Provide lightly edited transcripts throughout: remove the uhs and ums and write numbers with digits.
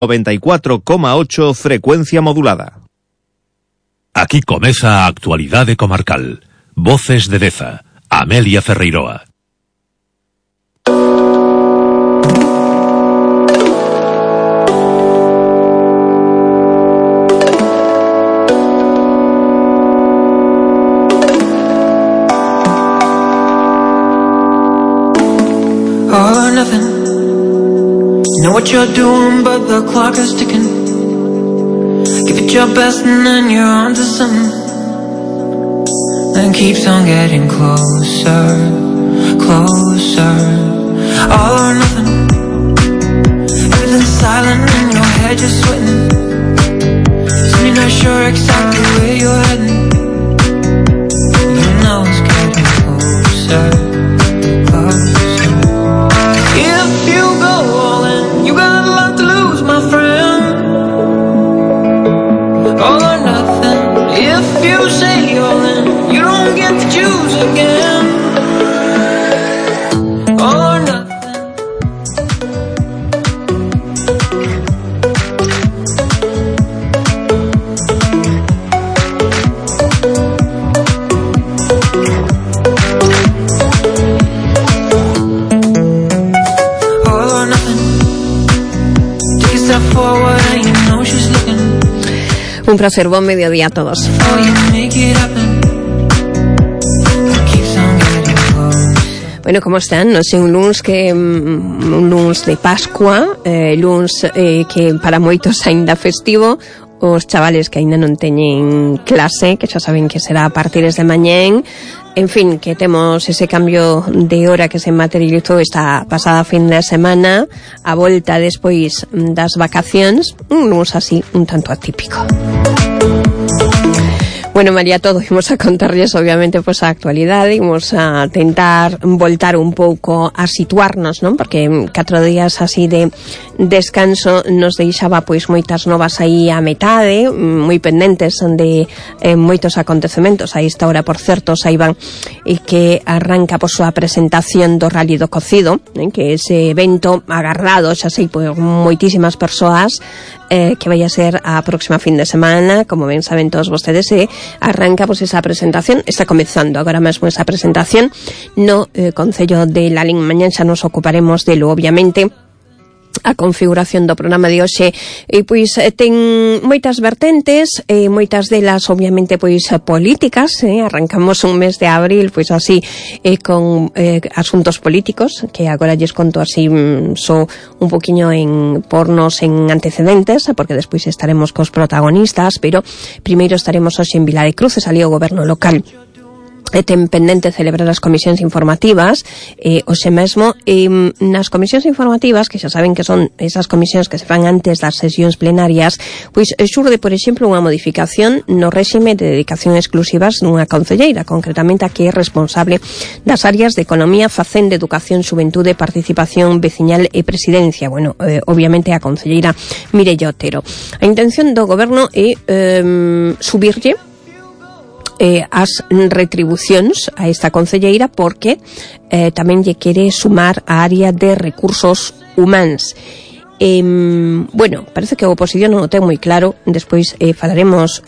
94,8 frecuencia modulada. Aquí comeza a actualidade comarcal. Voces de Deza, Amelia Ferreiroa. All or nothing. You know what you're doing, but the clock is ticking. Give it your best and then you're on to something. And keeps on getting closer, closer. All or nothing. Everything's silent and your head just sweating. Soon you're not sure exactly where you're heading. You know it's getting closer, closer. If you go all in, you got a lot to lose, my friend. All or nothing. If you say all in, you don't get to choose again. All or nothing. All or nothing. Take a step forward and you know she's looking. Un placer, buen mediodía a todos. Oh, you make it happen. It keeps on getting close. Bueno, ¿cómo están? No sé, un lunes de Pascua, lunes que para moitos ainda festivo, os chavales que ainda non teñen clase, que xa saben que será a partir de mañén. En fin, que temos ese cambio de hora que se materializou esta pasada fin de semana, a volta despois das vacacións, un lunes así un tanto atípico. Bueno, María, todo imos a contarlles obviamente pues a actualidade, imos a tentar voltar un pouco a situarnos, non? Porque 4 días así de descanso nos deixaba pois moitas novas aí a metade, moi pendentes de moitos acontecementos. A esta hora, por certo, saiban que arranca por súa presentación do Rally do Cocido, que ese evento agardado, xa sei, por moitísimas persoas, que vai a ser a próxima fin de semana, como ben saben todos vostedes, arranca pues esa presentación, está comezando agora mesmo esa presentación no Concello de Lalín. Mañán xa nos ocuparemos delo, obviamente. A configuración do programa de hoxe pois ten moitas vertentes, moitas delas obviamente pois políticas, arrancamos un mes de abril pois así con asuntos políticos, que agora lles conto así só un poquinho en pornos en antecedentes, porque despois estaremos cos protagonistas, pero primeiro estaremos hoxe en Vilar de Cruces, ali o goberno local ten pendente celebrar as comisións informativas, hoxe mesmo nas comisións informativas, que xa saben que son esas comisións que se fan antes das sesións plenarias, pois xurde, por exemplo, unha modificación no réxime de dedicación exclusivas dunha concelleira, concretamente a que é responsable das áreas de Economía, Facenda, Educación, Xuventude, Participación Veciñal e Presidencia. Bueno, obviamente a concelleira Mireia Otero. A intención do goberno é subirlle as retribucións a esta concelleira, porque tamén lle quere sumar a área de recursos humanos. Bueno, parece que a oposición non o ten moi claro. Despois falaremos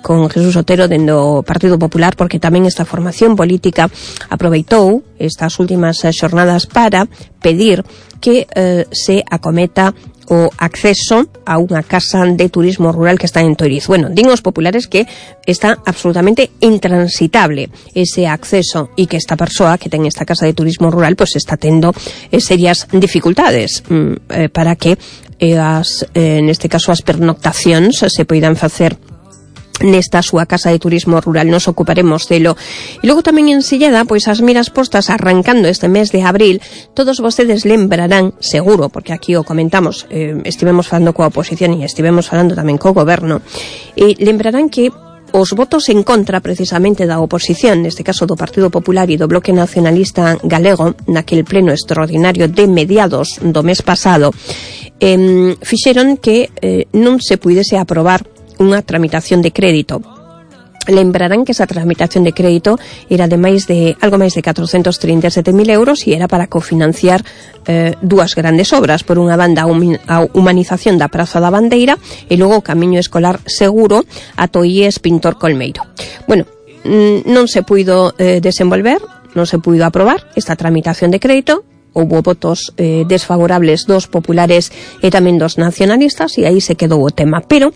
con Jesús Otero dendo Partido Popular, porque tamén esta formación política aproveitou estas últimas xornadas para pedir que se acometa o acceso a unha casa de turismo rural que está en Toiriz. Bueno, din os populares que está absolutamente intransitable ese acceso e que esta persoa que ten esta casa de turismo rural pues está tendo serias dificultades para que neste caso as pernoctacións se poidan facer nesta súa casa de turismo rural. Nos ocuparemos delo. E logo tamén en Silleda, pois as miras postas arrancando este mes de abril. Todos vostedes lembrarán, seguro, porque aquí o comentamos, estivemos falando coa oposición e estivemos falando tamén co goberno, e lembrarán que os votos en contra precisamente da oposición, neste caso do Partido Popular e do Bloque Nacionalista Galego, naquel pleno extraordinario de mediados do mes pasado, fixeron que non se puidese aprobar unha tramitación de crédito Lembrarán que esa tramitación de crédito era de algo máis de 437.000 euros e era para cofinanciar dúas grandes obras. Por unha banda, a humanización da Praza da Bandeira e logo o camiño escolar seguro ata o IES Pintor Colmeiro. Bueno, non se puido desenvolver, non se puido aprobar esta tramitación de crédito. Houbo votos desfavorables dos populares e tamén dos nacionalistas e aí se quedou o tema, pero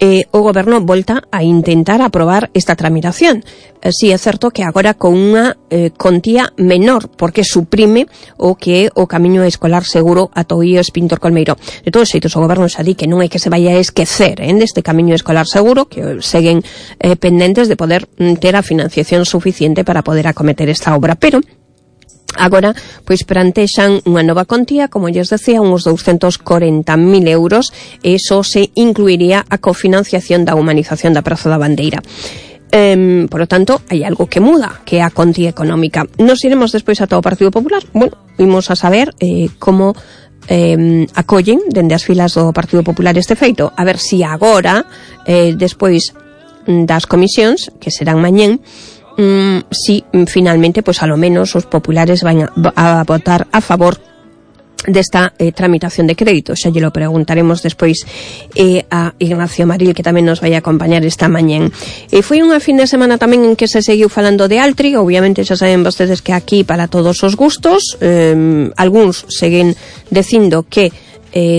o goberno volta a intentar aprobar esta tramitación. Si é certo que agora con unha contía menor, porque suprime o que o camiño escolar seguro ata o IES Pintor Colmeiro. De todos xeitos, o goberno xa di que non hai que se vaya a esquecer deste camiño escolar seguro, que seguen pendentes de poder ter a financiación suficiente para poder acometer esta obra, pero agora, pois plantexan unha nova contía, como lles decía, uns 240.000 euros, e iso se incluiría a cofinanciación da humanización da Praza da Bandeira. Por lo tanto, hai algo que muda, que é a contía económica. Nos iremos despois ata o Partido Popular. Bueno, imos a saber como acollen dende as filas do Partido Popular este feito. A ver si agora, despois das comisións, que serán mañén, si finalmente, pues a lo menos os populares van a votar a favor desta tramitación de crédito. Xa lle lo preguntaremos despois a Ignacio Maril, que tamén nos vai a acompañar esta mañén. Foi unha fin de semana tamén en que se seguiu falando de Altri. Obviamente xa saben vostedes que aquí para todos os gustos, algúns seguen dicindo que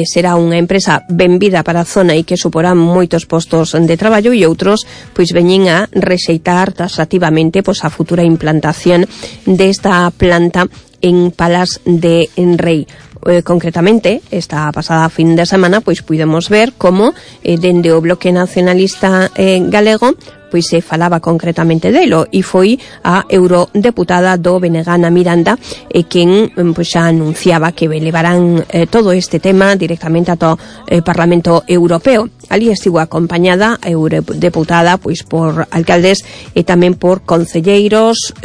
será unha empresa benvida para a zona e que suporá moitos postos de traballo, e outros pois veñen a rexeitar taxativamente pois a futura implantación desta planta en Palas de Rei. Concretamente, esta pasada fin de semana pois pudemos ver como dende o Bloque Nacionalista Galego pois se falaba concretamente delo, e foi a eurodeputada do BNG Ana Miranda quen pois xa anunciaba que levarán todo este tema directamente ata o Parlamento Europeo. Ali estivo acompañada a eurodeputada pois por alcaldes e tamén por concelleiros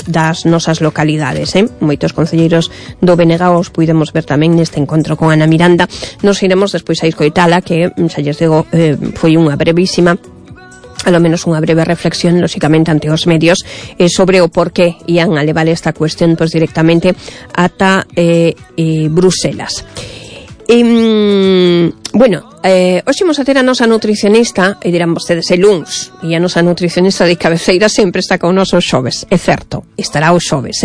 das nosas localidades. Moitos concelleiros do BNG os puidemos ver tamén neste encontro con Ana Miranda. Nos iremos despois a escoitala, que xa lles digo, foi unha brevísima, a lo menos unha breve reflexión, lóxicamente, ante os medios sobre o porqué ian a levar esta cuestión pois directamente ata Bruselas. Bueno, hoxe imos a ter a nosa nutricionista, e dirán vostedes, el luns, e a nosa nutricionista de cabeceira sempre está con nos os xoves, é certo, estará os xoves,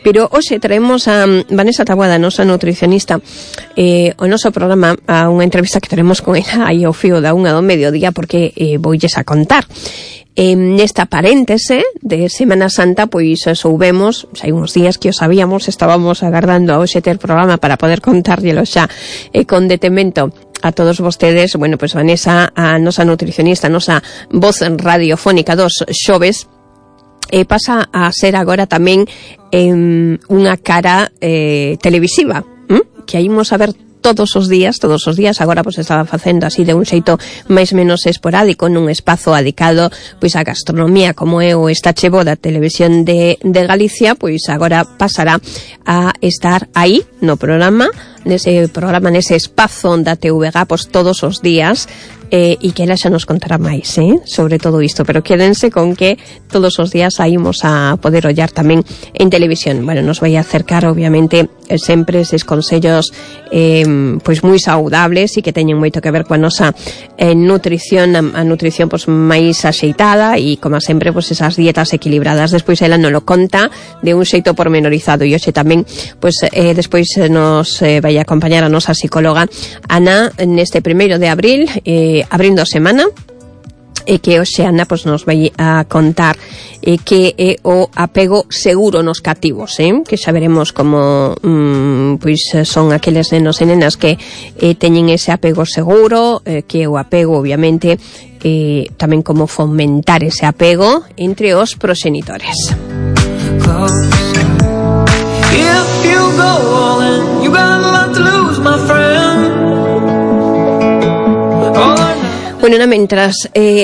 pero hoxe traemos a Vanessa Taboada, a nosa nutricionista, o noso programa, a unha entrevista que teremos con ela aí ao fío da 1 do mediodía, porque voulles a contar. Nesta paréntese de Semana Santa, pois soubemos, hai uns días que o sabíamos, estábamos agardando a hoxe ter programa para poder contárllelo xa con detemento a todos vostedes. Bueno, pois Vanessa, a nosa nutricionista, a nosa voz radiofónica dos xoves, pasa a ser agora tamén unha cara televisiva, que aí imos a ver todos os días, agora pois estaba facendo así de un xeito máis menos esporádico nun espazo adicado pois a gastronomía, como é o Estache Bo da Televisión de Galicia, pois agora pasará a estar aí no programa, nese espazo da TVG, pois todos os días, e que ela xa nos contará máis sobre todo isto, pero quédense con que todos os días saímos a poder ollar tamén en televisión. Bueno, nos vai a acercar obviamente sempre eses consellos pois moi saudables e que teñen moito que ver coa nosa nutrición, a nutrición pois máis axeitada, e como sempre pois esas dietas equilibradas. Despois ela nos lo conta de un xeito pormenorizado, e hoxe tamén pois despois nos vai a acompañar a nosa psicóloga Ana neste 1 de abril, abrindo a semana, e que hoxe Ana pois nos vai a contar que é o apego seguro nos cativos, que xa veremos como pois son aqueles nenos e nenas que teñen ese apego seguro, que é o apego obviamente, tamén como fomentar ese apego entre os proxenitores. If you go all in, you got a lot to lose, my friend. Bueno, mentras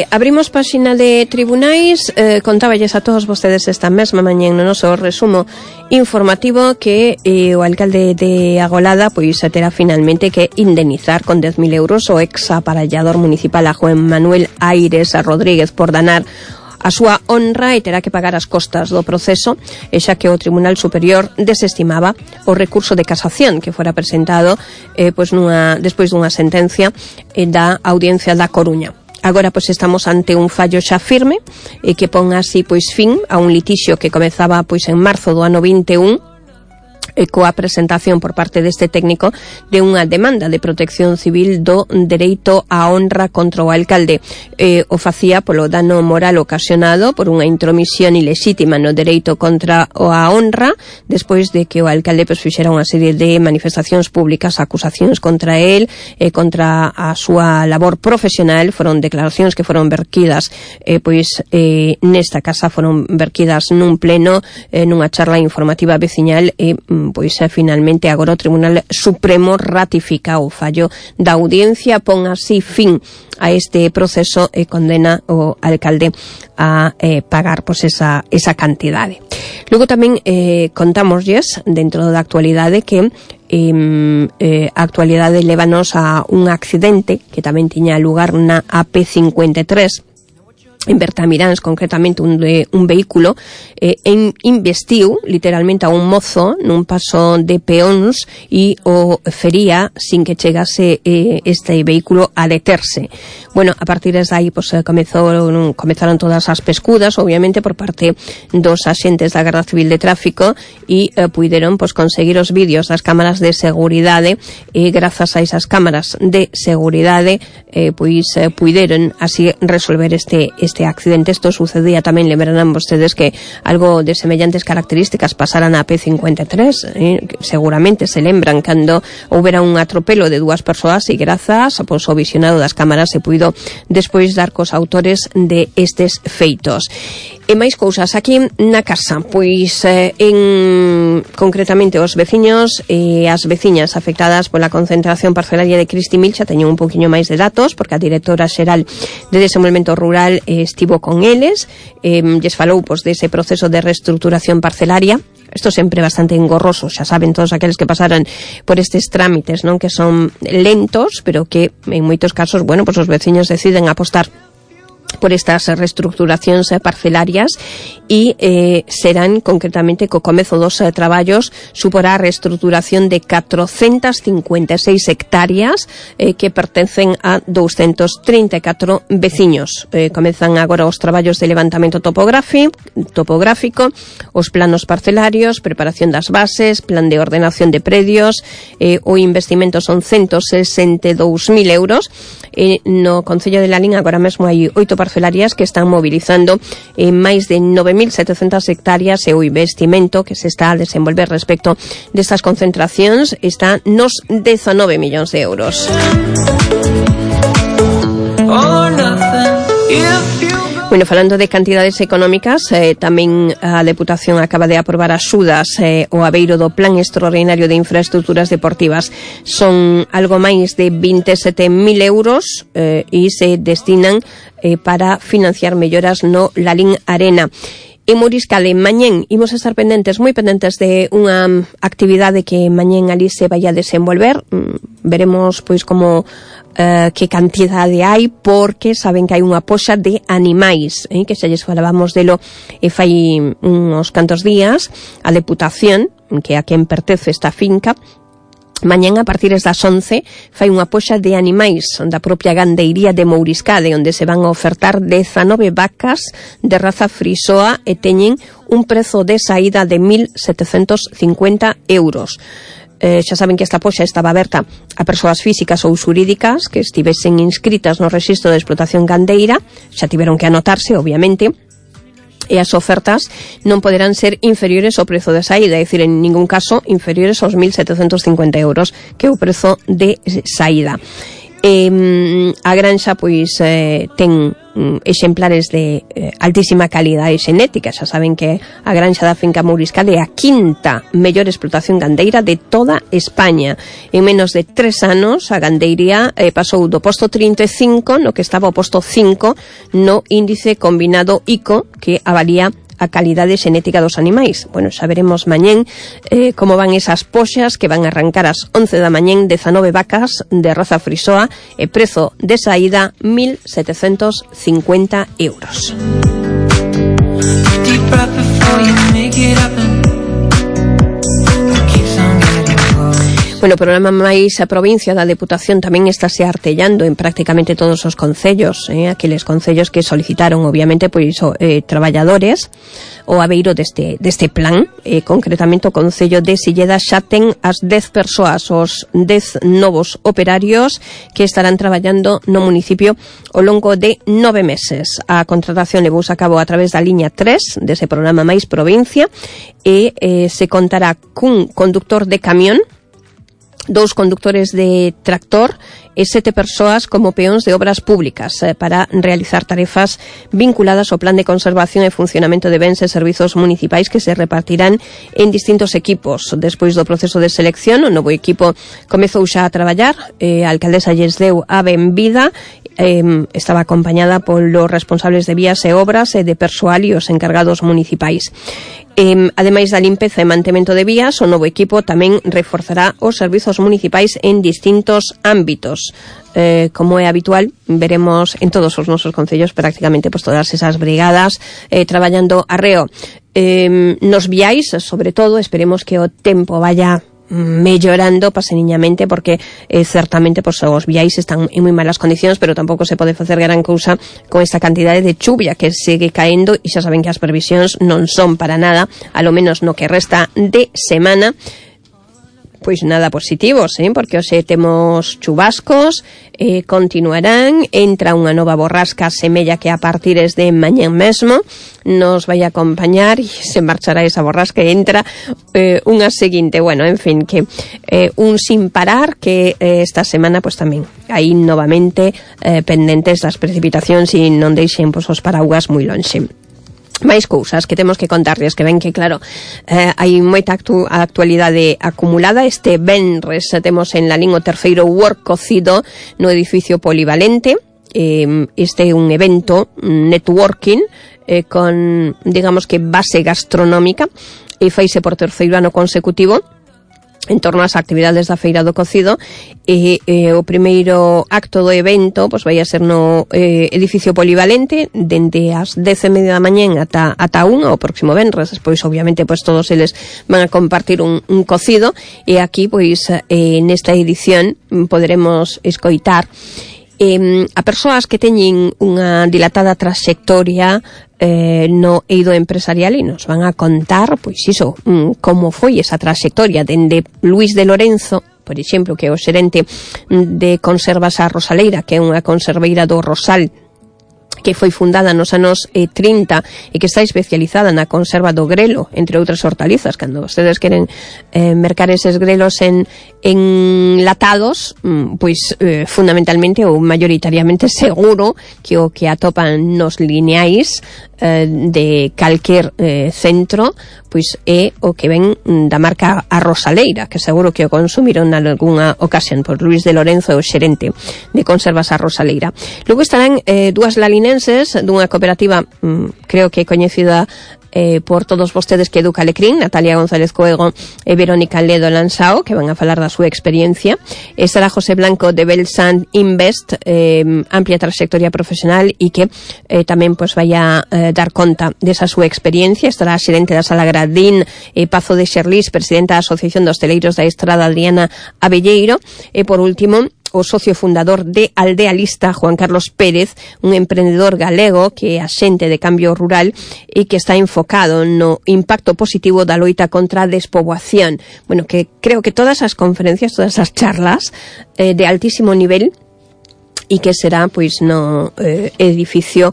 abrimos páxina de tribunais, contáballes a todos vostedes esta mesma mañá no noso resumo informativo que o alcalde de Agolada pois terá finalmente que indemnizar con 10.000 euros o ex aparellador municipal a Juan Manuel Aires a Rodríguez por danar a súa honra e terá que pagar as costas do proceso, e xa que o Tribunal Superior desestimaba o recurso de casación que fora presentado despois dunha sentencia da Audiencia da Coruña. Agora pois estamos ante un fallo xa firme que pon así pois fin a un litixio que comezaba pois en marzo do ano 21 coa presentación por parte deste técnico de unha demanda de protección civil do dereito á honra contra o alcalde. O facía polo dano moral ocasionado por unha intromisión ilexítima no dereito contra a honra, despois de que o alcalde fixera unha serie de manifestacións públicas, acusacións contra el, contra a súa labor profesional. Foron declaracións que foron verquidas nesta casa, foron verquidas nun pleno, nunha charla informativa veciñal, finalmente agora o Tribunal Supremo ratifica o fallo da audiencia, pon así fin a este proceso e condena o alcalde a pagar esa cantidade. Logo tamén contámoslles dentro da actualidade que a actualidade lévanos a un accidente que tamén tiña lugar na AP53 en Bertamiráns, concretamente un vehículo investiu literalmente a un mozo nun paso de peóns e o fería sin que chegase este vehículo a deterse. Bueno, a partir de aí comezaron todas as pescudas, obviamente por parte dos axentes da Garda Civil de Tráfico, e puideron conseguir os vídeos das cámaras de seguridade, e grazas a esas cámaras de seguridade puideron así resolver este accidente. Isto sucedía tamén, lembrarán vostedes que algo de semellantes características pasara na P53, seguramente se lembran cando houbera un atropelo de dúas persoas e grazas ao visionado das cámaras se puido despois dar cos autores de estes feitos. E máis cousas aquí na casa, concretamente os veciños e as veciñas afectadas pola concentración parcelaria de Cristi Mil xa teñen un poquinho máis de datos, porque a directora xeral de Desenvolvemento Rural estivo con eles, lles falou dese proceso de reestruturación parcelaria. Isto sempre bastante engorroso, xa saben todos aqueles que pasaran por estes trámites, non, que son lentos, pero que en moitos casos, os veciños deciden apostar por estas reestructuracións parcelarias e serán concretamente co comezo dos traballos suporá a reestructuración de 456 hectáreas que pertencen a 234 veciños. Comezan agora os traballos de levantamento topográfico, os planos parcelarios, preparación das bases, plan de ordenación de predios. O investimento son 162.000 euros. No Concello de Lalín agora mesmo hai 8 parcelarias que están mobilizando máis de 9.700 hectáreas, e o investimento que se está a desenvolver respecto destas concentracións está nos 19 millóns de euros. Bueno, falando de cantidades económicas, tamén a Deputación acaba de aprobar axudas ao abeiro do Plan Extraordinario de Infraestructuras Deportivas. Son algo máis de 27.000 euros e se destinan para financiar melloras no Lalín Arena. En Mouriscade, mañén, imos estar moi pendentes de unha actividade que mañén ali se vai a desenvolver. Veremos, como que cantidade hai, porque saben que hai unha poxa de animais, que xa lles falábamos delo fai uns cantos días. A Deputación, que a quen pertence esta finca, mañán a partir das 11 fai unha poxa de animais da propia gandeiría de Mouriscade, onde se van a ofertar 19 vacas de raza frisoa e teñen un prezo de saída de 1.750 euros. Xa saben que esta poxa estaba aberta a persoas físicas ou xurídicas que estivesen inscritas no rexistro de explotación gandeira, xa tiveron que anotarse, obviamente, e as ofertas non poderán ser inferiores ao prezo de saída, é dicir, en ningún caso inferiores aos 1.750 euros, que é o prezo de saída. A granxa ten exemplares de altísima calidade xenética. Xa saben que a granxa da finca Mouriscade é a quinta mellor explotación gandeira de toda España. En menos de 3 anos a gandeiría pasou do posto 35 no que estaba o posto 5 no índice combinado ICO, que avalía a calidade xenética dos animais. Bueno, xa veremos mañén como van esas poxas que van a arrancar ás 11 da mañén, 19 vacas de raza frisoa e prezo de saída 1.750 euros. know you make it happen. It keeps on getting close. Bueno, o programa máis a provincia da Deputación tamén estáse artellando en prácticamente todos os concellos, aqueles concellos que solicitaron, obviamente, pois traballadores o abeiro deste plan, concretamente o concello de Silleda xa ten as 10 persoas, os 10 novos operarios que estarán traballando no municipio ao longo de 9 meses. A contratación levouse a cabo a través da liña 3 dese programa máis provincia e se contará cun conductor de camión, 2 conductores de tractor e 7 persoas como peóns de obras públicas para realizar tarefas vinculadas ao plan de conservación e funcionamento de bens e servizos municipais que se repartirán en distintos equipos. Despois do proceso de selección, o novo equipo comezou xa a traballar, a alcaldesa lles deu a benvida, estaba acompañada polos responsables de vías e obras e de persoal e os encargados municipais. Ademais da limpeza e mantemento de vías, o novo equipo tamén reforzará os servizos municipais en distintos ámbitos. Como é habitual, veremos en todos os nosos concellos prácticamente pues, todas esas brigadas traballando arreo. Nos viais, sobre todo, esperemos que o tempo vaya mellorando paseniñamente, porque certamente pues, os viais están en moi malas condicións, pero tampouco se pode facer gran cousa con esta cantidade de chuvia que segue caendo, e xa saben que as previsións non son para nada, a lo menos no que resta de semana, pois nada positivos, porque hoxe temos chubascos, continuarán, entra unha nova borrasca, semella que a partir de mañán mesmo nos vai a acompañar e se marchará esa borrasca e entra unha seguinte, bueno, en fin, que un sin parar que esta semana pues tamén aí novamente pendentes das precipitacións e non deixen pues, os paraugas moi lonxe. Máis cousas que temos que contarles, que ven que, claro, hai moita actualidade acumulada. Este venres temos en Lalín o terceiro work cocido no edificio polivalente. Este é un evento networking con, digamos que, base gastronómica e faise por terceiro ano consecutivo en torno ás actividades da Feira do Cocido, e o primeiro acto do evento pois vai a ser no edificio polivalente dende as 10:30 da mañán ata 1 o próximo venres. Despois obviamente pois todos eles van a compartir un cocido, e aquí pois nesta edición poderemos escoitar a persoas que teñen unha dilatada traxectoria no eido empresarial, e nos van a contar, pois iso, como foi esa traxectoria dende Luis de Lorenzo, por exemplo, que é o xerente de Conservas a Rosaleira, que é unha conserveira do Rosal, que foi fundada nos anos 30 e que está especializada na conserva do grelo, entre outras hortalizas. Cando vostedes queren mercar eses grelos en latados, pois fundamentalmente ou mayoritariamente seguro que o que atopan nos lineais de calquer centro pois é o que ven da marca A Rosaleira, que seguro que o consumiron en algunha ocasión. Por Luis de Lorenzo, o xerente de Conservas A Rosaleira. Logo estarán dúas lalinenses dunha cooperativa creo que coñecida por todos vostedes, que Educa Alecrín, Natalia González Coego e Verónica Ledo Lansao, que van a falar da súa experiencia. Estará José Blanco de Belsand Invest, amplia trayectoria profesional, e que tamén pues, vai a dar conta desa súa experiencia. Estará a xerente da Sala Gradín, Pazo de Xerlís, presidenta da Asociación de Hosteleiros da Estrada, Adriana Abelleiro, e por último o socio fundador de Aldea Lista, Juan Carlos Pérez, un emprendedor galego que é axente de cambio rural e que está enfocado no impacto positivo da loita contra a despoboación. Bueno, que creo que todas as conferencias, todas as charlas de altísimo nivel, e que será pois no edificio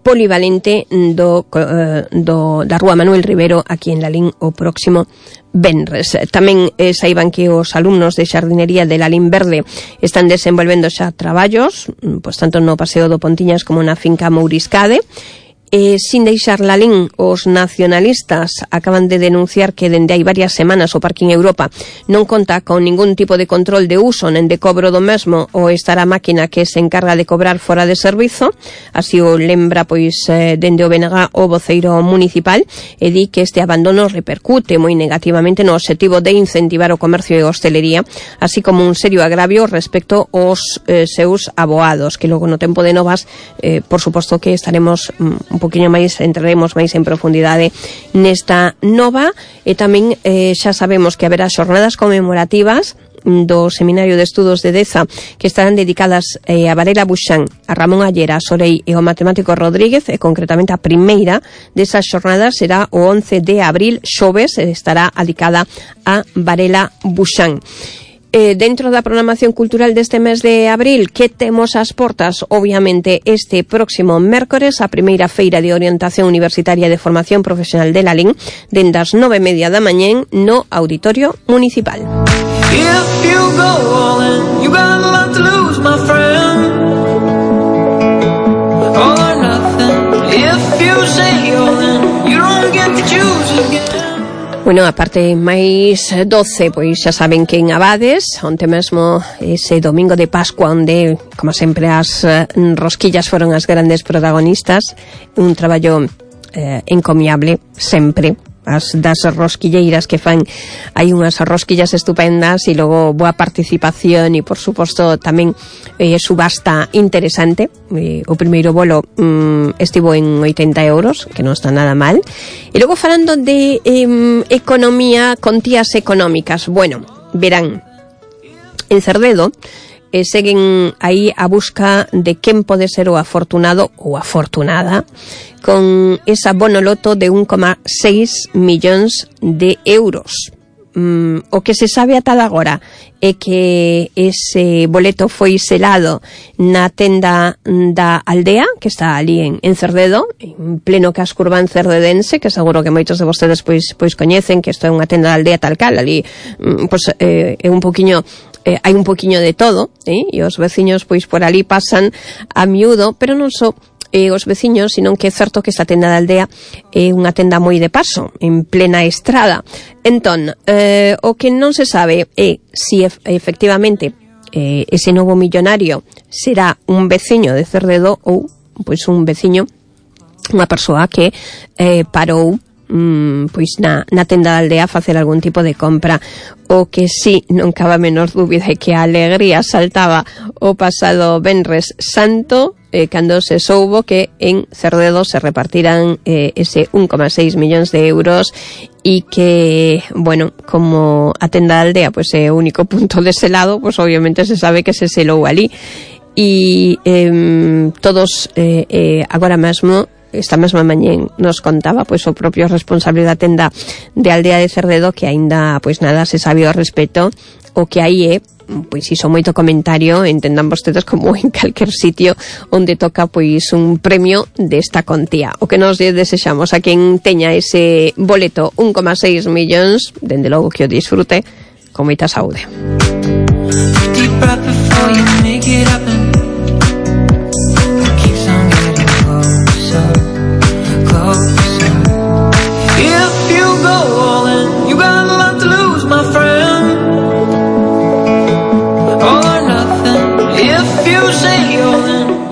polivalente da Rúa Manuel Rivero, aquí en Lalín, o próximo venres. Tamén saiban que os alumnos de xardinería de Lalín Verde están desenvolvendo xa traballos, pois tanto no Paseo do Pontiñas como na finca Mouriscade. Sin deixar Lalín, os nacionalistas acaban de denunciar que dende hai varias semanas o Parking Europa non conta con ningún tipo de control de uso nen de cobro do mesmo, ou estar a máquina que se encarga de cobrar fora de servizo. Así o lembra pois dende o BNG o voceiro municipal, e di que este abandono repercute moi negativamente no obxectivo de incentivar o comercio e a hostelería, así como un serio agravio respecto aos seus aboados, que logo no tempo de novas por suposto que estaremos un poquinho máis, entraremos máis en profundidade nesta nova, e tamén xa sabemos que haberá xornadas conmemorativas do Seminario de Estudos de Deza que estarán dedicadas a Varela Buxán, a Ramón Allera, a Sorei e ao matemático Rodríguez, e concretamente a primeira desas xornadas será o 11 de abril, xoves, estará dedicada a Varela Buxán. Dentro da programación cultural deste mes de abril, que temos ás portas, obviamente, este próximo mércores, a primeira feira de orientación universitaria de formación profesional de Lalín, dende as 9:30 da mañá no Auditorio Municipal. If you go all in, you got a lot to lose, my friend. All or nothing. If you say all in, you don't get to choose again. Bueno, a parte máis 12, pois xa saben que en Abades, onte mesmo ese domingo de Pascua, onde, como sempre, as rosquillas foron as grandes protagonistas, un traballo encomiable, sempre, das rosquilleiras que fan, hai unhas rosquillas estupendas e logo boa participación e, por suposto, tamén subasta interesante. O primeiro bolo estivo en 80 euros, que non está nada mal. E logo, falando de economía, contías económicas, bueno, verán, en Cerdedo seguen aí a busca de quen pode ser o afortunado ou afortunada con esa bonoloto de 1,6 millóns de euros. O que se sabe ata agora é que ese boleto foi selado na tenda da Aldea, que está ali en Cerdedo, en pleno casco urbán cerdedense, que seguro que moitos de vostedes pois coñecen, que isto é unha tenda da Aldea tal cal, ali é un poquinho hai un poquinho de todo, e os veciños pois por ali pasan a miúdo, pero non só os veciños, sino que é certo que esta tenda da Aldea é unha tenda moi de paso, en plena estrada. Entón, o que non se sabe é si efectivamente ese novo millonario será un veciño de Cerdedo ou pois un veciño, unha persoa que parou pois na tenda da Aldea facer algún tipo de compra. O que sí, non cabe a menor dúbida, é que a alegría saltaba o pasado Venres Santo cando se soubo que en Cerdedo se repartirán ese 1,6 millóns de euros e que, bueno, como a tenda da Aldea pois é o único punto de selado, pois obviamente se sabe que se selou ali e todos agora mesmo, esta mesma mañá nos contaba pois o propio responsable da tenda de Aldea de Cerdedo que aínda pois nada se sabe ao respecto. O que aí é pois iso moito comentario, entendan vostedes, como en calquer sitio onde toca pois un premio desta contía. O que nos desexamos a quen teña ese boleto 1,6 millóns, dende logo que o disfrute con moita saúde.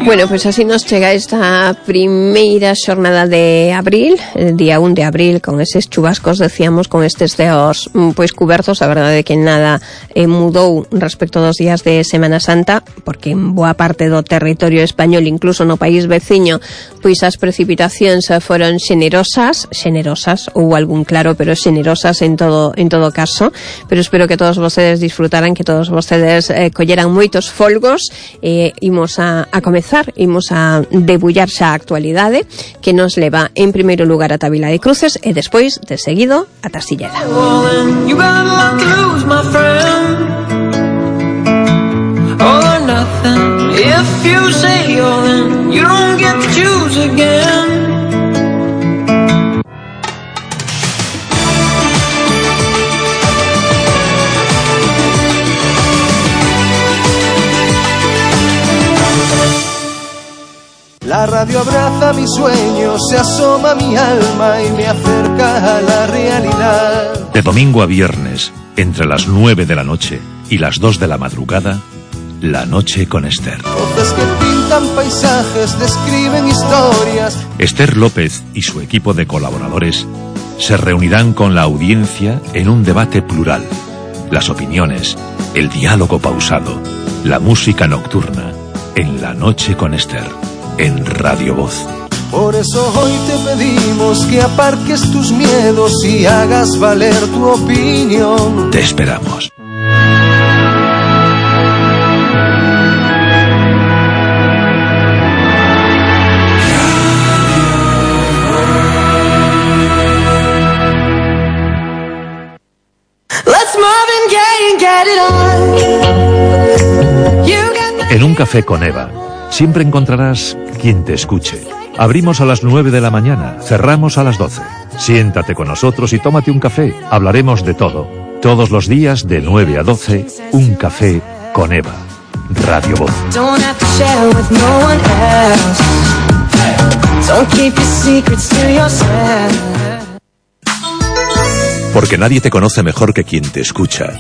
Bueno, pois así nos chega esta primeira xornada de abril, el día 1 de abril, con eses chubascos, decíamos, con estes ceos pois cubertos. A verdade é que nada mudou respecto dos días de Semana Santa, porque en boa parte do territorio español, incluso no país veciño, pois as precipitacións foron xenerosas, ou algún claro, pero xenerosas en todo caso. Pero espero que todos vostedes disfrutaran, que todos vostedes colleran moitos folgos. Imos a comezar, imos a debullar xa a actualidade, que nos leva en primeiro lugar a Tavila de Cruces e despois, de seguido, a Tarsilleda. La radio abraza mis sueños, se asoma a mi alma y me acerca a la realidad. De domingo a viernes, entre las 9 de la noche y las 2 de la madrugada, La Noche con Esther. Voces que pintan paisajes, describen historias. Esther López y su equipo de colaboradores se reunirán con la audiencia en un debate plural. Las opiniones, el diálogo pausado, la música nocturna, en La Noche con Esther, en Radio Voz. Por eso hoy te pedimos que aparques tus miedos y hagas valer tu opinión. Te esperamos. En un café con Eva, siempre encontrarás quien te escuche. Abrimos a las 9 de la mañana, cerramos a las 12. Siéntate con nosotros y tómate un café. Hablaremos de todo. Todos los días de 9 a 12, un café con Eva. Radio Voz. Porque nadie te conoce mejor que quien te escucha.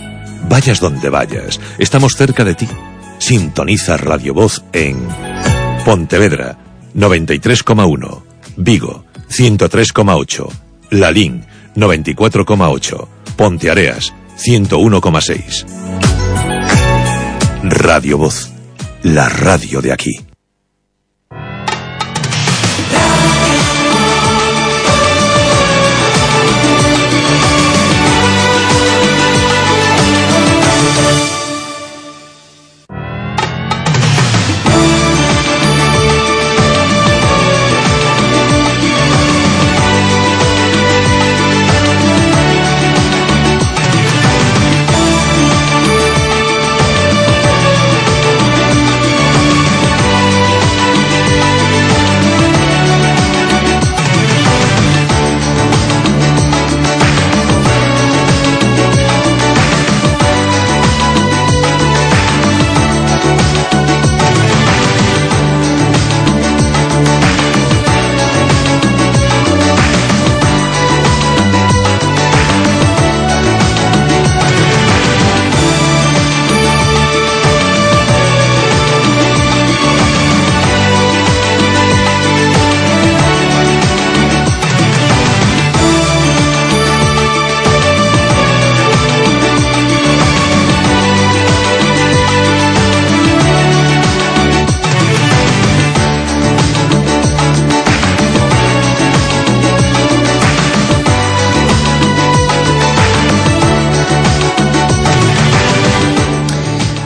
Vayas donde vayas, estamos cerca de ti. Sintoniza Radio Voz en Pontevedra 93,1, Vigo 103,8, Lalín 94,8, Ponteareas 101,6. Radio Voz, la radio de aquí.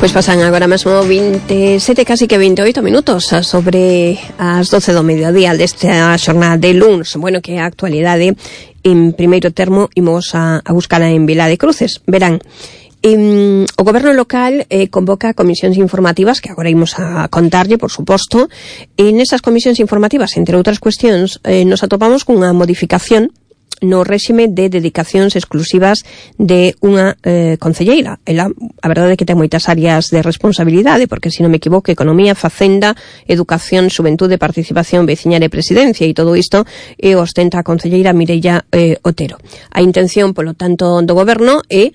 Pois pasan agora mesmo 27, casi que 28 minutos sobre as 12 do mediodía desta xornada de luns. Bueno, que a actualidade en primeiro termo imos a buscala en Vila de Cruces. Verán, o goberno local convoca comisións informativas que agora imos a contarlle, por suposto. En esas comisións informativas, entre outras cuestións, nos atopamos cunha modificación no réxime de dedicacións exclusivas de unha concelleira. Ela, a verdade é que ten moitas áreas de responsabilidade, porque, se non me equivoco, Economía, Facenda, Educación, Xuventude, Participación, Veciñal e Presidencia, e todo isto ostenta a concelleira Mireia Otero. A intención, polo tanto, do goberno é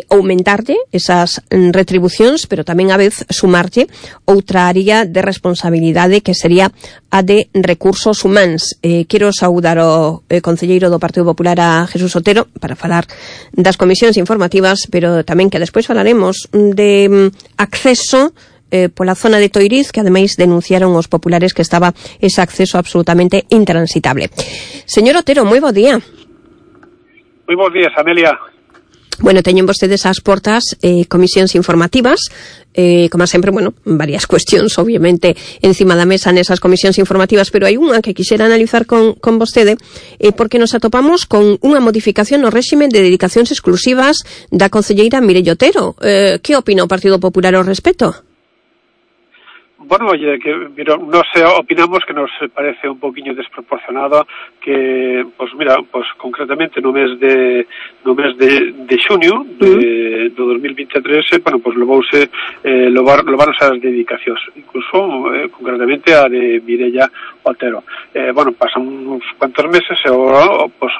aumentarlle esas retribucións, pero tamén a vez sumarlle outra área de responsabilidade que sería a de recursos humanos. Quero saudar o concelleiro do Partido Popular, a Jesús Otero, para falar das comisións informativas, pero tamén que despois falaremos de acceso pola zona de Toiriz, que ademais denunciaron os populares que estaba ese acceso absolutamente intransitable. Señor Otero, moi bo día. Moi bons días, Amelia. Bueno, teñen vostedes ás portas comisións informativas, como sempre, bueno, varias cuestións, obviamente, encima da mesa nesas comisións informativas, pero hai unha que quixera analizar con vostede, porque nos atopamos con unha modificación no réxime de dedicacións exclusivas da concelleira Mireia Otero. Que opina o Partido Popular ao respecto? Bueno, oye, que nos opinamos que nos parece un poquinho desproporcionado que, pues mira, pues concretamente no mes de xunio do 2023, bueno, pues leváronse as dedicacións, incluso concretamente a de Mireia Otero. Bueno, pasan uns cuantos meses e agora, pues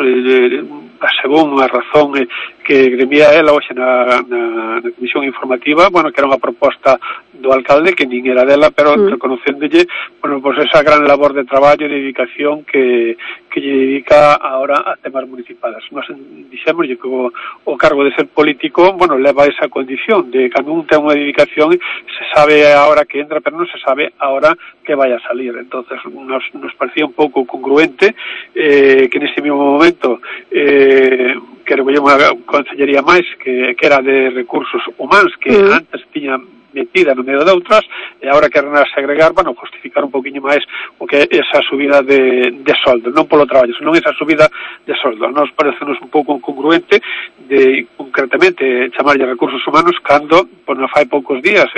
según a razón que gremia ela hoxe na comisión informativa, bueno, que era unha proposta do alcalde que nin era dela, pero reconocéndolle, bueno, pues esa gran labor de traballo e de dedicación que lle dedica ahora a temas municipales. Nos dixémoslle que o cargo de ser político, bueno, leva esa condición de cando un ten unha dedicación, se sabe a hora que entra, pero non se sabe a hora que vai a salir. Entonces nos parecía un pouco congruente que neste mesmo momento que recolleu unha consellería máis que era de recursos humanos que antes tiña metida no medio de outras e agora queren segregar, bueno, justificar un poquinho máis o que é esa subida de soldo, non polo traballo, senón esa subida de soldo. Nos parecenos un pouco incongruente de concretamente chamarlle recursos humanos cando, pois non fai poucos días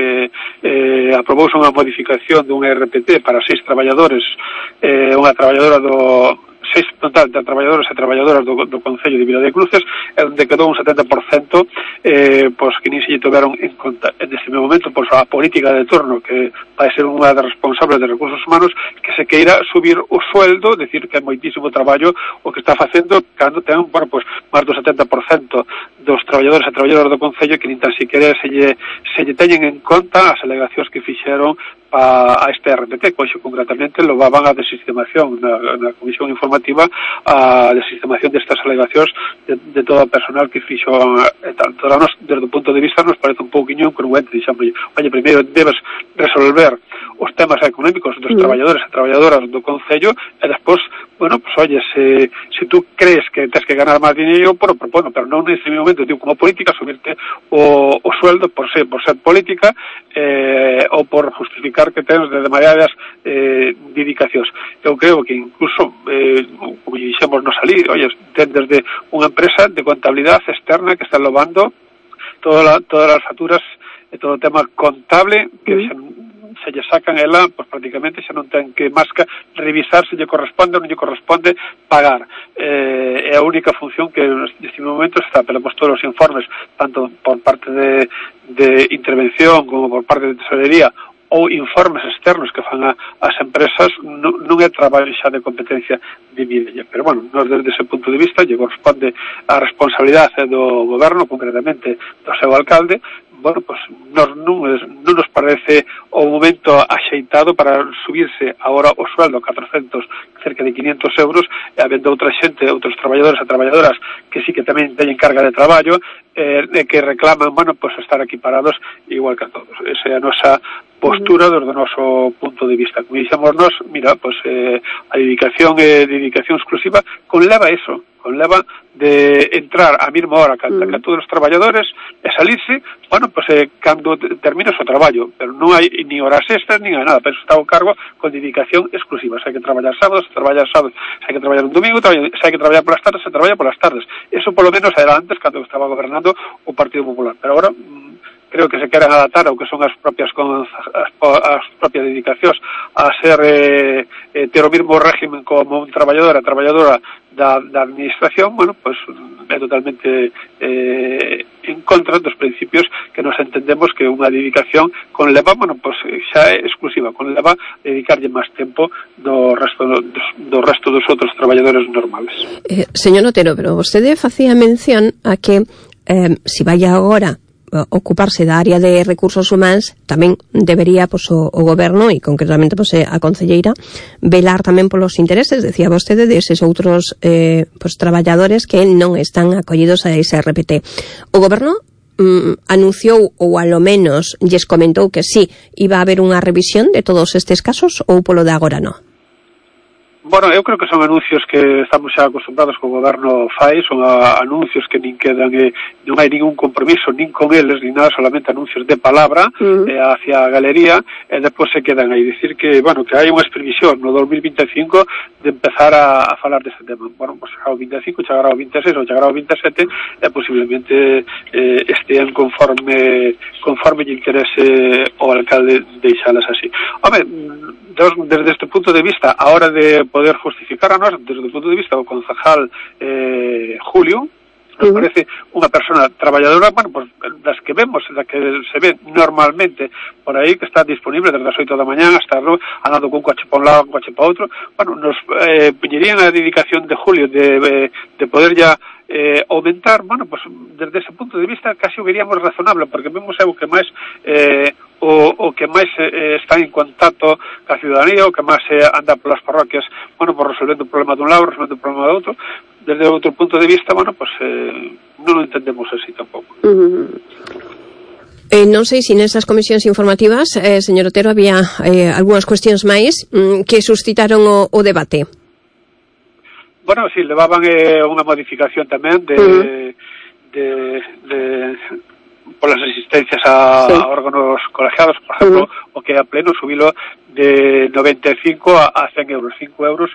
aprobouse unha modificación dun RPT para 6 traballadores, unha traballadora do 6 total de traballadores e traballadoras do Concello de Vila de Cruces, onde quedou un 70% pois que nin se lle tomaron en conta. En este momento, pois a política de turno que vai ser unha das responsables de recursos humanos que se queira subir o sueldo, decir que é moitísimo traballo o que está facendo cando ten, bueno, pois máis do 70% dos traballadores e traballadoras do Concello que nin tan siquiera se lle teñen en conta as alegacións que fixeron a este RPT, que hoxe concretamente lo van a desistemación na comisión informativa, a desistemación destas alegacións de todo o personal que fixo tanto a nos, desde o punto de vista nos parece un pouquiño incongruente, dixamos, oye, primeiro debes resolver os temas económicos dos traballadores e traballadoras do Concello e despois, bueno, pues oye, se tú crees que tens que ganar máis dinero, bueno, pero non nese momento, digo, como política, subirte o sueldo por ser política ou por justificar que tens de demasiadas dedicacións. Eu creo que incluso, como dixemos no salir, oye, ten desde unha empresa de contabilidade externa que está lobando todas as facturas e todo o tema contable que se lle sacan ela, pues prácticamente xa non ten que máis que revisar se lle corresponde ou non lle corresponde pagar. É a única función que neste momento está, pero pues todos os informes, tanto por parte de intervención como por parte de tesorería ou informes externos que fan as empresas, non é traballo xa de competencia de Mireia. Pero, bueno, nos desde ese punto de vista lle corresponde a responsabilidade do goberno, concretamente do seu alcalde. Bueno, pues non nos parece o momento axeitado para subirse agora o sueldo a 400, cerca de 500 euros, e habendo outra xente, outros traballadores e traballadoras que sí que tamén teñen carga de traballo, que reclaman, bueno, pues estar aquí parados igual que a todos. Esa é a nosa postura desde o noso punto de vista. Como dixemos nós, mira, pues a dedicación exclusiva conleva eso, conleva de entrar a mesma hora que todos os traballadores e salirse, bueno, pues cando termina o seu traballo, pero non hai ni horas extras ni nada, pero está o cargo con dedicación exclusiva. Se hai que traballar sábados, se hai que traballar un domingo, se hai que traballar polas tardes, se traballa polas tardes. Eso polo menos era antes cando estaba gobernando o Partido Popular, pero agora creo que se queren adaptar ao que son as propias dedicacións a ser ter o mesmo régimen como un traballador e traballadora da administración, bueno, pues é totalmente en contra dos principios que nos entendemos que unha dedicación conleva, bueno, pues xa é exclusiva, conleva dedicarlle máis tempo do resto dos outros traballadores normales. Señor Otero, pero vostede facía mención a que se vai agora ocuparse da área de recursos humanos, tamén debería pues, o goberno e concretamente pues, a concelleira velar tamén polos intereses, decía vostede, deses outros pues, traballadores que non están acollidos a ese RPT. O goberno anunciou ou alo menos lles comentou que sí, iba a haber unha revisión de todos estes casos ou polo de agora non? Bueno, eu creo que son anuncios que estamos xa acostumbrados que o goberno fai, son anuncios que nin quedan, non hai ningún compromiso nin con eles, nin nada, solamente anuncios de palabra hacia a galería, e depois se quedan aí. Dicir que, bueno, que hai unha previsión no 2025 de empezar a falar deste tema. Bueno, pues chegará o 25, chegará o 26 ou chegará o 27 e posiblemente estean conforme lle interese o alcalde deixalas así. Home, desde este punto de vista, a hora de poder justificar a nós, desde o punto de vista do concejal Julio, nos parece unha persona traballadora, bueno, pues das que vemos, da que se ve normalmente por aí, que está disponible desde as 8 da mañá hasta andando cun coche para un lado, un coche para outro. Bueno, nos piñerían a dedicación de Julio de poder ya aumentar, bueno, pues desde ese punto de vista casi o veríamos razonable, porque vemos o que máis o que máis está en contacto ca ciudadanía, o que máis anda polas parroquias, bueno, por resolvendo o problema dun lado, resolvendo o problema do outro. Desde outro punto de vista, bueno, pues non o entendemos así tampouco. Non sei se nesas comisións informativas, señor Otero, había algunhas cuestións máis que suscitaron o debate. Bueno, sí, levaban unha modificación tamén polas asistencias a órganos colegiados, por exemplo, o que a pleno subilo de 95 a 100 euros, 5 euros,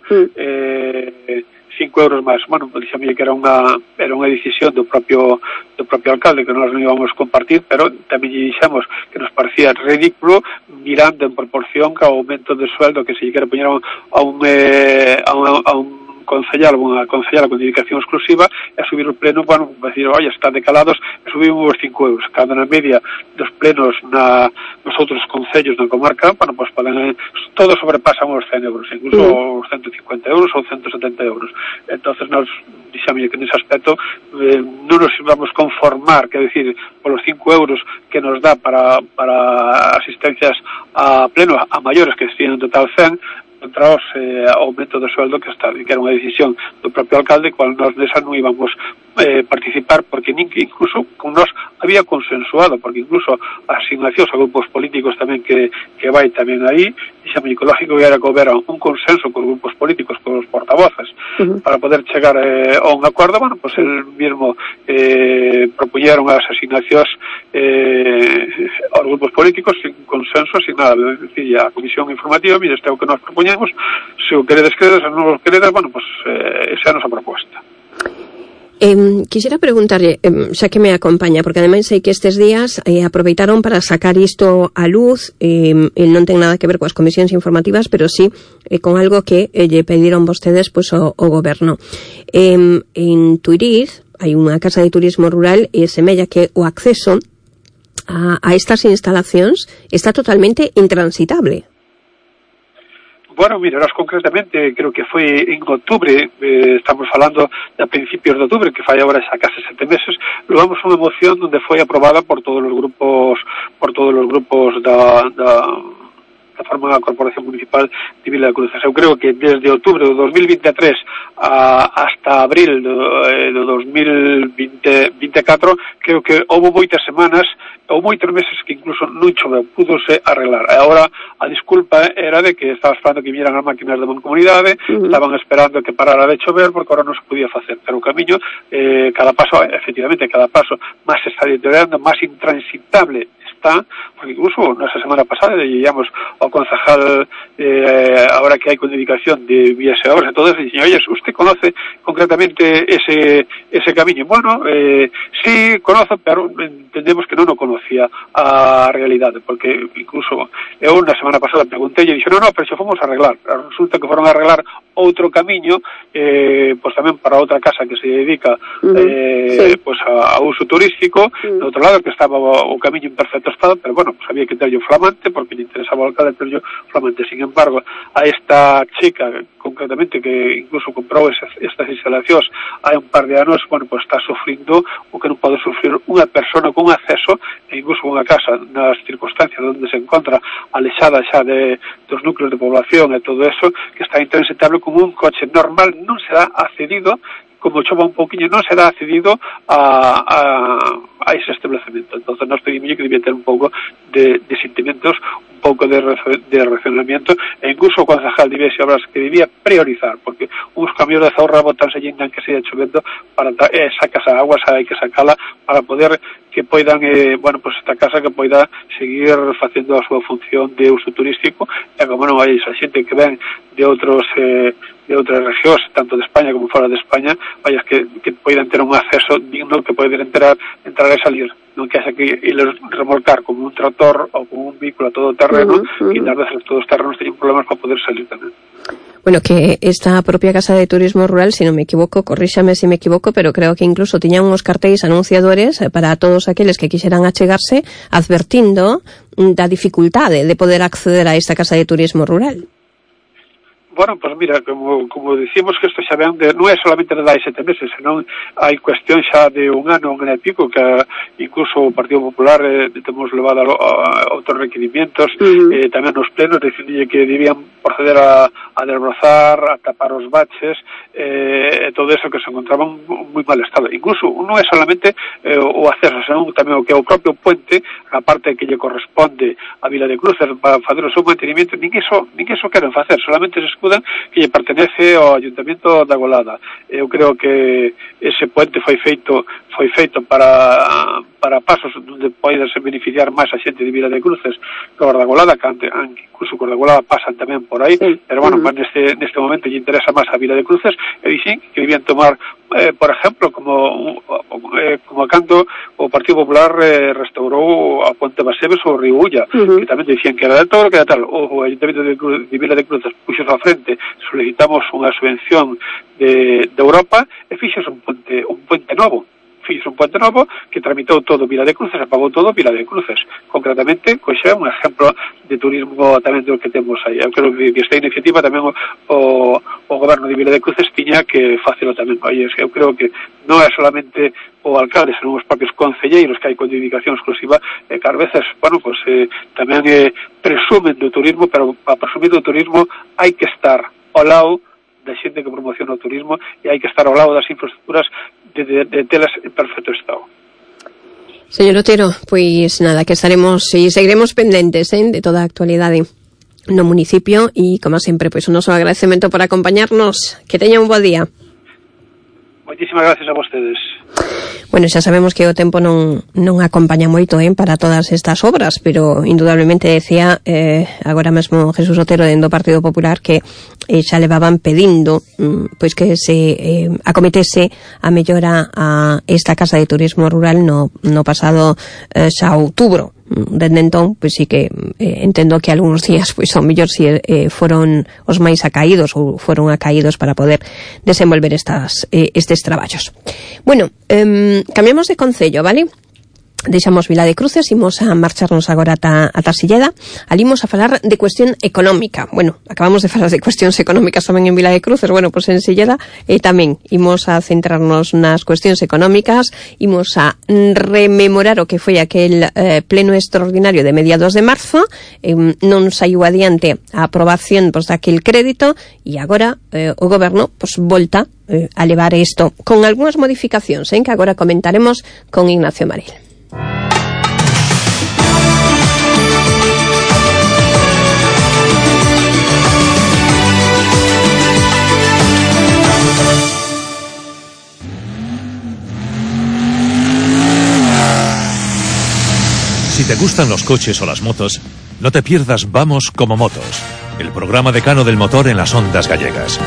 5 euros máis. Bueno, dixame que era unha decisión do propio alcalde, que nós non íbamos compartir, pero tamén lle dixemos que nos parecía ridículo mirando en proporción ao aumento de sueldo que se lle quere poñer a un concellal, unha concellala con dedicación exclusiva, e a subir o pleno, bueno, decir, oye, están decalados, e subimos 5 euros, cando na media dos plenos nos outros concellos na comarca, bueno, pues todos sobrepasan os 100 euros, incluso os 150 euros ou 170 euros. Entonces, nos dixame que nese aspecto non nos vamos conformar, quer decir, polos 5 euros que nos dá para asistencias a pleno, a maiores que estiven en total 100, contra os aumento do sueldo que era unha decisión do propio alcalde, cual nós desa non íbamos participar, porque incluso con nós había consensuado, porque incluso as asignacións a grupos políticos tamén que vai tamén aí, dixame que lógico era que houbera un consenso cos grupos políticos, cos portavoces, para poder chegar a un acordo. Bueno, pues el mismo propuñeron as asignacións aos grupos políticos sin consenso, sin nada, decir, a comisión informativa, mire, este é o que nos propoñemos, se o queredes, se non o queredes, bueno, pues esa é a nosa proposta. Quixera preguntarle, xa que me acompaña, porque ademais sei que estes días aproveitaron para sacar isto á luz, non ten nada que ver coas comisións informativas, pero sí con algo que lle pediron vostedes pois, o goberno. En Tuiriz hai unha casa de turismo rural e semella que o acceso a estas instalacións está totalmente intransitable. Bueno, mira, nós concretamente, creo que foi en outubro, estamos falando a principios de outubro, que fai agora xa case 7 meses, levamos unha moción onde foi aprobada por todos os grupos da forma da Corporación Municipal de Vila de Cruzes. Eu creo que desde outubro de 2023 hasta abril do 2024, creo que houve moitas semanas ou moitos meses que incluso non choveu, púdose arreglar. Agora a disculpa era de que estaba esperando que vieran as máquinas de Mancomunidade, estaban esperando que parara de chover porque agora non se podía facer. Pero o camiño, cada paso, efectivamente, máis se está deteriorando, máis intransitable está, porque incluso nesa semana pasada llevamos ao concejal ahora que hai con dedicación de vías e obras, entonces dicen, oye, ¿usted conoce concretamente ese camiño? Bueno, sí, conoce, pero entendemos que non o conocía a realidade, porque incluso eu na semana pasada preguntei e dixo, no, pero xa fomos a arreglar. Resulta que foron a arreglar outro camiño, pois tamén para outra casa que se dedica pois a uso turístico, do outro lado que estaba o camiño en perfecto estado, pero bueno, pues había que terlle flamante porque lle interesaba ao alcalde terlle flamante. Sin embargo, a esta chica concretamente que incluso comprou estas instalacións hai un par de anos, bueno, pues está sufrindo o que non pode sufrir unha persona con acceso e incluso unha casa nas circunstancias onde se encontra alexada xa dos núcleos de población e todo eso, que está intransitable como un coche normal, non será accedido, como chova un pouquiño, non será accedido a ese establecemento. Entonces nos pedimos que debía ter un pouco de sentimentos, un pouco de racionamiento, e incluso o concejal de Vías e Obras que debía priorizar, porque uns camións de zorra botanse llenan que siga chovendo, para sacas a agua, hai que sacala para poder que poidan, bueno, pues esta casa que poida seguir facendo a súa función de uso turístico, e como non hai esa xente que ven de outras regións, tanto de España como fora de España, vayas que poidan ter un acceso digno, que poidan entrar e salir, non que haxa que iles remolcar como un tractor ou como un vehículo a todo terreno, e nas veces todos os terrenos teñen problemas para poder salir tamén. Bueno, que esta propia Casa de Turismo Rural, si non me equivoco, corríxame se me equivoco, pero creo que incluso tiñan uns cartéis anunciadores para todos aqueles que quixeran achegarse, advertindo da dificultade de poder acceder a esta Casa de Turismo Rural. Bueno, pues mira, como decimos que isto xa ven non é solamente de hai 7 meses, senón hai cuestión xa de un ano e pico que incluso o Partido Popular temos levado a outros requerimientos tamén nos plenos, dicindo que debían proceder a desbrozar, a tapar os baches e todo eso que se encontraba en moi mal estado. Incluso non é solamente o acceso, senón tamén o que é o propio puente, a parte que lle corresponde a Vila de Cruces para facer o seu mantenimiento, nin iso queren facer, solamente se escudan que lle pertenece ao Ayuntamiento da Golada. Eu creo que ese puente foi feito para pasos onde poidense beneficiar máis a xente de Vila de Cruces que os da Golada, que incluso os da Golada pasan tamén por aí, pero bueno, neste momento lle interesa máis a Vila de Cruces e dixen que debían tomar por exemplo, como cando o Partido Popular restaurou a Ponte Baseves ou o Río Ulla, que tamén dicían que era de todo, que era tal. O Ayuntamiento de Vila de Cruces puxo á frente, solicitamos unha subvención de Europa e fixos un puente novo. Fixo un puente novo que tramitou todo Vila de Cruces e pagou todo Vila de Cruces. Concretamente, pois é un exemplo de turismo tamén do que temos aí. Eu creo que esta iniciativa tamén o goberno de Vila de Cruces tiña que facelo tamén. Oye, eu creo que non é solamente o alcalde, senón os propios concelleiros que hai con dedicación exclusiva que ás veces, bueno, pues tamén presumen do turismo, pero para presumir do turismo hai que estar ao lado da xente que promociona o turismo e hai que estar ao lado das infraestructuras de telas en perfecto estado. Señor Otero, pois nada, que estaremos e seguiremos pendentes de toda a actualidade no municipio e, como sempre, pois un noso agradecemento por acompañarnos. Que teña un bo día. Moitísimas gracias a vostedes. Bueno, xa sabemos que o tempo non acompaña moito para todas estas obras, pero indudablemente decía agora mesmo Jesús Otero dentro do Partido Popular que xa levaban pedindo pois que se acometese a mellora a esta Casa de Turismo Rural no pasado xa outubro. Dende entón, pois sí que entendo que algúns días pois ao mellor si foron os máis acaídos ou foron acaídos para poder desenvolver estes traballos. Bueno, cambiamos de concello, vale? Deixamos Vila de Cruces, imos a marcharnos agora ata Silleda. Ali imos a falar de cuestión económica. Bueno, acabamos de falar de cuestións económicas tamén en Vila de Cruces, bueno, pois en Silleda tamén imos a centrarnos nas cuestións económicas, imos a rememorar o que foi aquel pleno extraordinario de mediados de marzo, non saiu adiante a aprobación pois daquel crédito e agora o goberno pois volta a levar isto con algunhas modificacións, que agora comentaremos con Ignacio Maril. Si te gustan los coches o las motos, no te pierdas Vamos como Motos, el programa decano del motor en las ondas gallegas.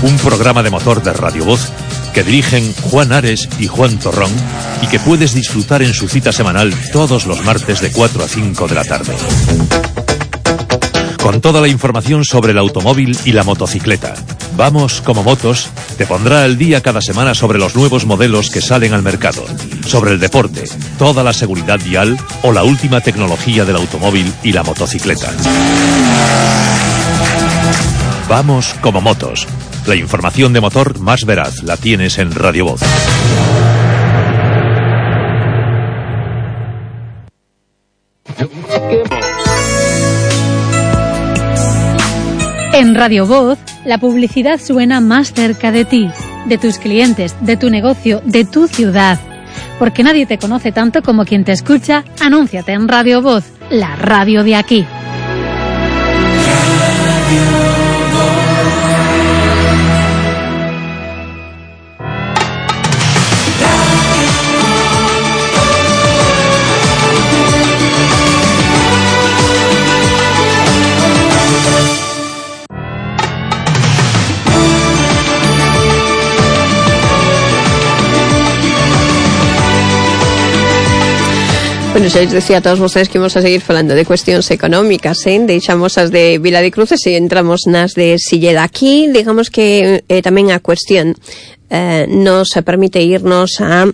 Un programa de motor de Radio Voz que dirigen Juan Ares y Juan Torrón y que puedes disfrutar en su cita semanal todos los martes de 4 a 5 de la tarde. Con toda la información sobre el automóvil y la motocicleta. Vamos como Motos te pondrá al día cada semana sobre los nuevos modelos que salen al mercado, sobre el deporte, toda la seguridad vial o la última tecnología del automóvil y la motocicleta. Vamos como Motos. La información de motor más veraz la tienes en Radio Voz. En Radio Voz, la publicidad suena más cerca de ti, de tus clientes, de tu negocio, de tu ciudad. Porque nadie te conoce tanto como quien te escucha, anúnciate en Radio Voz, la radio de aquí. Bueno, xa les decía a todos vostedes que imos a seguir falando de cuestións económicas, deixamos as de Vila de Cruces e entramos nas de Silleda. Aquí, digamos que tamén a cuestión nos permite irnos a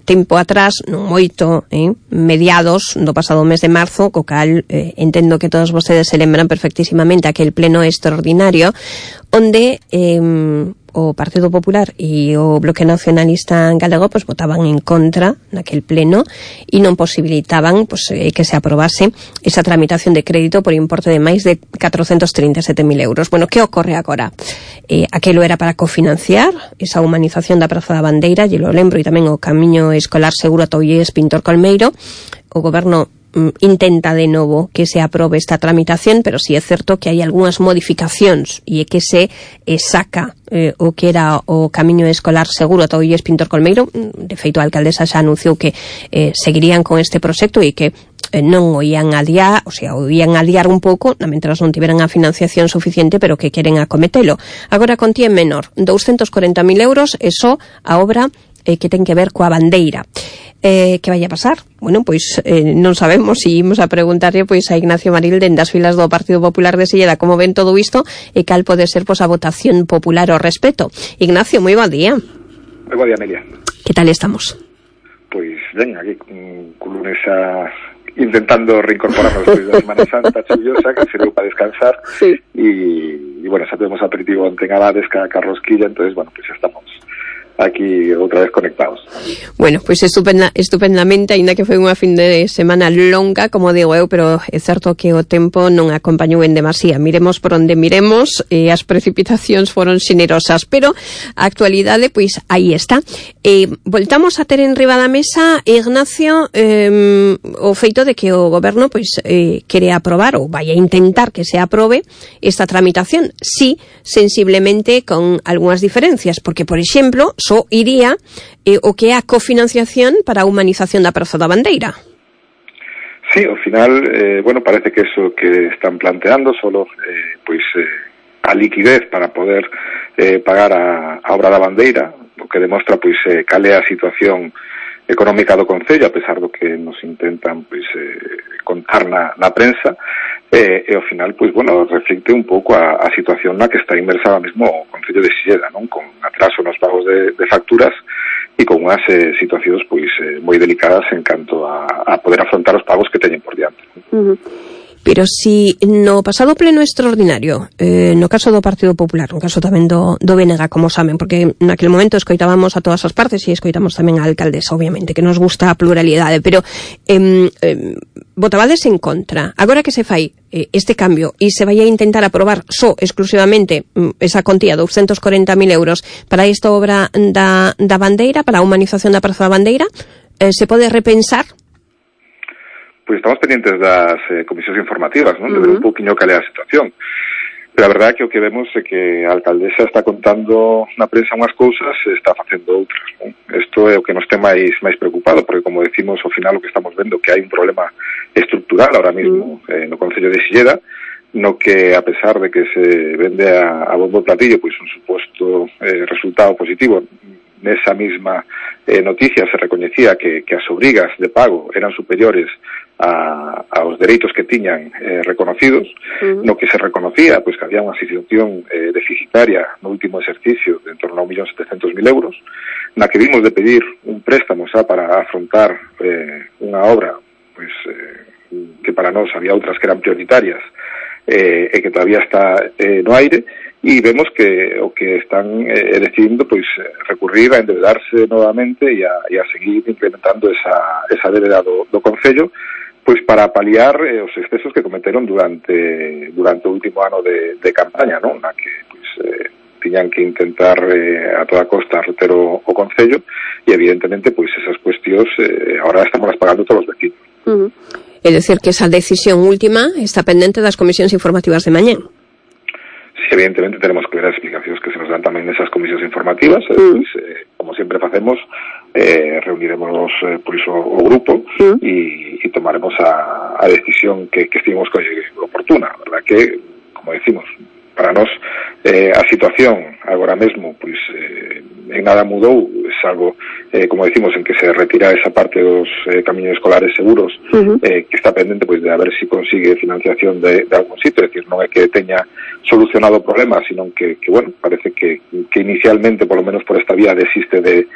tempo atrás, non moito, mediados do pasado mes de marzo, co cal entendo que todos vostedes se lembran perfectísimamente aquel pleno extraordinario onde o Partido Popular e o Bloque Nacionalista Galego pues votaban en contra naquel pleno e non posibilitaban que se aprobase esa tramitación de crédito por importe de máis de 437.000 euros. Bueno, que ocorre agora? Aquelo era para cofinanciar esa humanización da Praza da Bandeira, e lo lembro, e tamén o camiño escolar seguro a Tollés Pintor Colmeiro. O goberno intenta de novo que se aprobe esta tramitación, pero sí é certo que hai algunhas modificacións e é que se saca o que era o camiño escolar seguro a Tollés Pintor Colmeiro. De feito, a alcaldesa xa anunciou que seguirían con este proxecto e que non o ian adiar, o sea, o ian adiar un pouco, mentras non tiveran a financiación suficiente, pero que queren acometelo. Agora contía menor, 240.000 euros, e só a obra que ten que ver coa bandeira. Que vai a pasar? Bueno, pois non sabemos, e imos a preguntarlle pois a Ignacio Maril dende as filas do Partido Popular de Silleda como ven todo isto e cal pode ser pois a votación popular ao respecto. Ignacio, moi bo día. Moi bo día, Amelia. Que tal estamos? Pois ben, aquí con lunes intentando reincorporarnos despois da Semana Santa chuviosa, que serviu para descansar. Sí. E bueno, xa temos aperitivo en Abades, ca Rosquilla, entonces bueno, pues xa estamos aquí outra vez conectados. Bueno, pois estupendamente, aínda que foi unha fin de semana longa, como digo eu, pero é certo que o tempo non acompañou en demasía. Miremos por onde miremos, as precipitacións foron xenerosas, pero a actualidade, pois, aí está. Voltamos a ter en riba da mesa, Ignacio, o feito de que o goberno, pois, quere aprobar, ou vai a intentar que se aprobe esta tramitación, sí, sensiblemente con algunhas diferencias, porque, por exemplo, só iría o que é a cofinanciación para a humanización da Praza da Bandeira. Sí, ao final, bueno, parece que eso que están planteando solo, a liquidez para poder pagar a obra da Bandeira, o que demostra, cal é a situación económica do Concello, a pesar do que nos intentan, contar na prensa, e ao final, bueno, reflicte un pouco a situación na que está inmersa ahora mesmo o Concello de Silleda, non? Con atraso nos pagos de facturas e con unhas situacións moi delicadas en canto a poder afrontar os pagos que teñen por diante. Pero si no pasado pleno extraordinario, no caso do Partido Popular, no caso tamén do BNG, como saben, porque naquele momento escoitábamos a todas as partes e escoitamos tamén a alcaldesa, obviamente, que nos gusta a pluralidade, pero votabades en contra. Agora que se fai este cambio e se vai a intentar aprobar só exclusivamente esa contía de 240.000 euros para esta obra da Bandeira, para a humanización da Praza da Bandeira, se pode repensar? Pois estamos pendientes das comisións informativas, non? De ver un pouquiño cal é a situación. Pero a verdade é que o que vemos é que a alcaldesa está contando na prensa unhas cousas e está facendo outras, non? Isto é o que nos ten máis preocupado, porque, como decimos, ao final o que estamos vendo que hai un problema estructural ahora mismo no Concello de Silleda, no que, a pesar de que se vende a bombo platillo un suposto resultado positivo, nesa mesma noticia se recoñecía que as obrigas de pago eran superiores aos dereitos que tiñan reconocidos, no que se reconocía que había unha situación deficitaria no último exercicio de en torno a 1.700.000 euros, na que vimos de pedir un préstamo para afrontar unha obra que para nós había outras que eran prioritarias e que todavía está no aire, e vemos que o que están decidindo recurrir a endeudarse novamente e a seguir implementando esa débeda do Concello para paliar os excesos que cometeron durante o último ano de campaña, non? Na que tiñan que intentar a toda costa reter o Concello e evidentemente esas cuestións agora estamos pagando todos os vecinos. É dicir que esa decisión última está pendente das comisións informativas de mañá. Sí, evidentemente tenemos que ver as explicacións que se nos dan tamén nesas comisións informativas, como sempre facemos, reuniremos por iso o grupo e tomaremos a decisión que estimemos oportuna, verdad que, como decimos, para nós a situación agora mesmo en nada mudou, salvo como decimos, en que se retira esa parte dos camiños escolares seguros, que está pendente pois de a ver se consigue financiación de algún sitio, é dicir, non é que teña solucionado o problema, sino que bueno, parece que inicialmente, por lo menos por esta vía, desiste de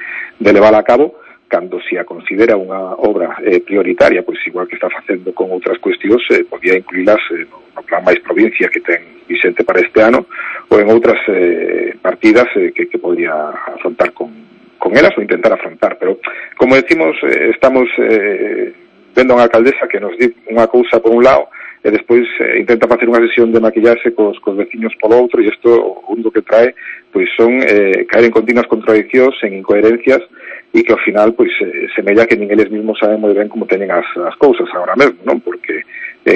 levar a cabo, cando se a considera unha obra prioritaria, pois igual que está facendo con outras cuestións, podía incluílas no plan máis provincia que ten Vicente para este ano, ou en outras partidas que podría afrontar con elas ou intentar afrontar, pero como decimos, estamos vendo a unha alcaldesa que nos di unha cousa por un lado e despois intenta facer unha sesión de maquillarse cos veciños polo outro, e isto o único que trae pois son caer en continuas contradiccións, en incoherencias, e que ao final pois semella que nin eles mesmos saben moi ben como teñen as cousas agora mesmo, non? Porque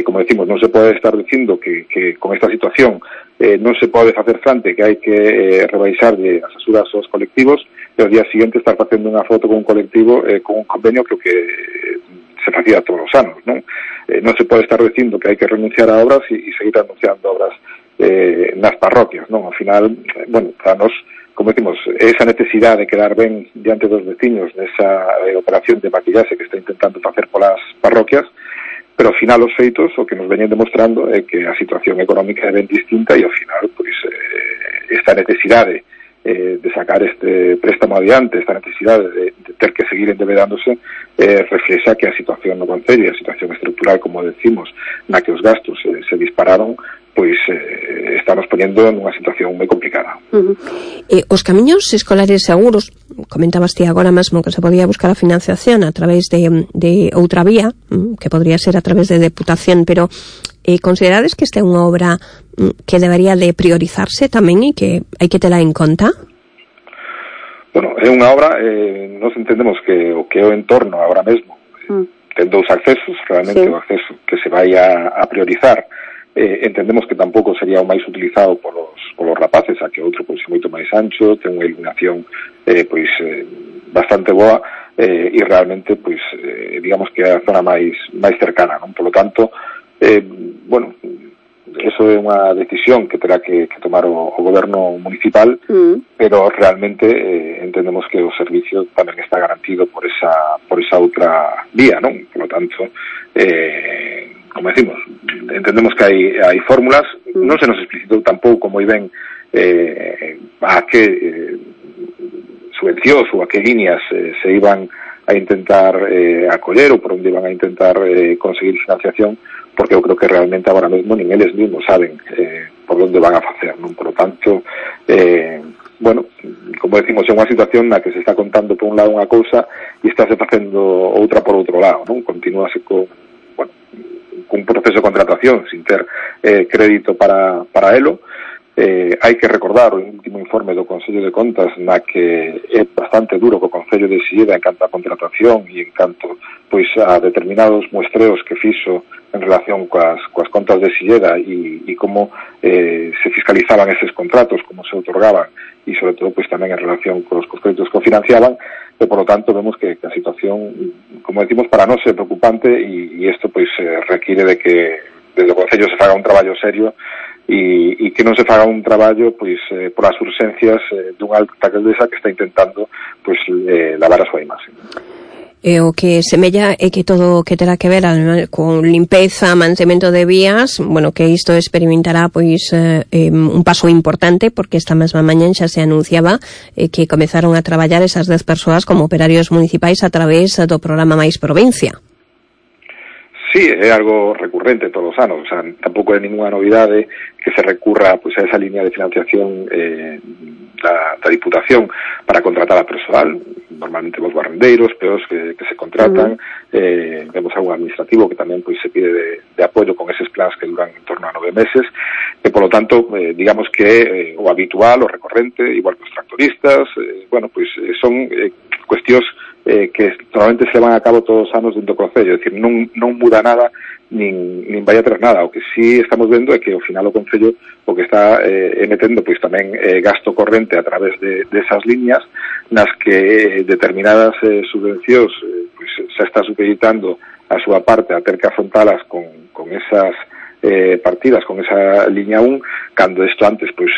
como decimos, non se pode estar dicindo que con esta situación non se pode facer fronte, que hai que rebaixarlle as asuras aos colectivos, e ao día siguiente estar facendo unha foto con un colectivo con un convenio que se facía todos os anos, non? Non se pode estar dicindo que hai que renunciar a obras e seguir anunciando obras nas parroquias, non? Ao final, bueno, para nós, como decimos, esa necesidade de quedar ben diante dos veciños nesa operación de maquillaxe que está intentando facer polas parroquias, pero ao final os feitos o que nos veñen demostrando é que a situación económica é ben distinta, e ao final, pois, esta necesidade de sacar este préstamo adiante, esta necesidade de ter que seguir endebedándose, reflexa que a situación no concello, a situación estructural, como decimos, na que os gastos se dispararon, pois estamos ponendo nunha situación moi complicada. Os camiños escolares seguros, comentabas ti agora mesmo que se podía buscar a financiación a través de outra vía, que podría ser a través de Deputación, pero considerades que esta é unha obra que debería de priorizarse tamén e que hai que tela en conta? Bueno, é unha obra, nos entendemos que o que é o entorno agora mesmo ten dous accesos, realmente o acceso que se vai a priorizar, entendemos que tampouco sería o máis utilizado polos rapaces, a que outro pois é moito máis ancho, ten unha iluminación bastante boa, e realmente pois digamos que é a zona máis cercana, non? Por lo tanto, bueno, eso é unha decisión que terá que tomar o goberno municipal, pero realmente entendemos que o servicio tamén está garantido por esa outra vía, non? Por lo tanto, como decimos, entendemos que hai fórmulas, non se nos explicitou tampouco moi ben a que subvencións ou a que líneas se iban a intentar acoller ou por onde iban a intentar conseguir financiación, porque eu creo que realmente agora mesmo nin eles mesmos saben por onde van a facer, non? Por lo tanto, bueno, como decimos, é unha situación na que se está contando por un lado unha cousa e estáse facendo outra por outro lado, non? Continúase con un proceso de contratación sin ter crédito para elo. Hai que recordar o último informe do Consello de Contas na que é bastante duro co Concello de Silleda en canto a contratación e en canto pois a determinados muestreos que fixo en relación coas contas de Silleda e como se fiscalizaban eses contratos, como se otorgaban e sobre todo pois tamén en relación cos créditos que o financiaban, e por lo tanto vemos que a situación, como decimos, para nós é preocupante e isto pois requiere de que desde o Concello se faga un traballo serio e que non se faga un traballo pois por as urxencias dunha alta alcaldesa que está intentando pois lavar a súa imaxe. O que semella é que todo o que terá que ver con limpeza, mantemento de vías, bueno, que isto experimentará pois un paso importante, porque esta mesma mañá xa se anunciaba que comezaron a traballar esas 10 persoas como operarios municipais a través do programa Mais Provincia. Sí, é algo recurrente todos os anos, o sea, tampouco é ninguna novidade que se recurra pois a esa línea de financiación da Diputación para contratar a persoal, normalmente os barrendeiros, peos que se contratan, vemos algo administrativo que tamén pois se pide de apoio con eses plans que duran en torno a 9 meses, e por lo tanto, digamos que o habitual, o recorrente, igual que os tractoristas, bueno, pois son cuestións que normalmente se van a cabo todos os anos dentro do Concello, é dicir, non muda nada, nin vai a traer nada. O que sí estamos vendo é que ao final o Concello o que está metendo pois tamén gasto corrente a través de esas líneas nas que determinadas subvencións pois se está supeditando a súa parte a ter que afrontalas con esas partidas, con esa liña 1, cando isto antes pois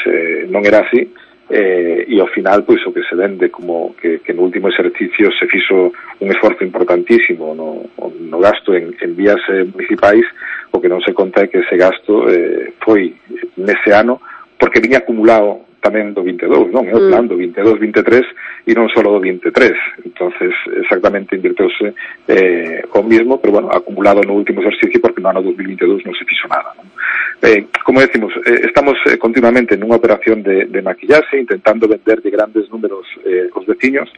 non era así. e ao final pois o que se vende como que no último exercicio se fixo un esforzo importantísimo no gasto en vías municipais, o que non se conta é que ese gasto foi nese ano porque viña acumulado tamén do 22, non? É o plan do 22-23 e non só do 23. Entonces, exactamente invirteuse o mismo, pero bueno, acumulado no último exercicio porque no ano 2022 non se fixo nada, non? Como decimos, estamos continuamente nunha operación de maquillaxe, intentando vender de grandes números os veciños,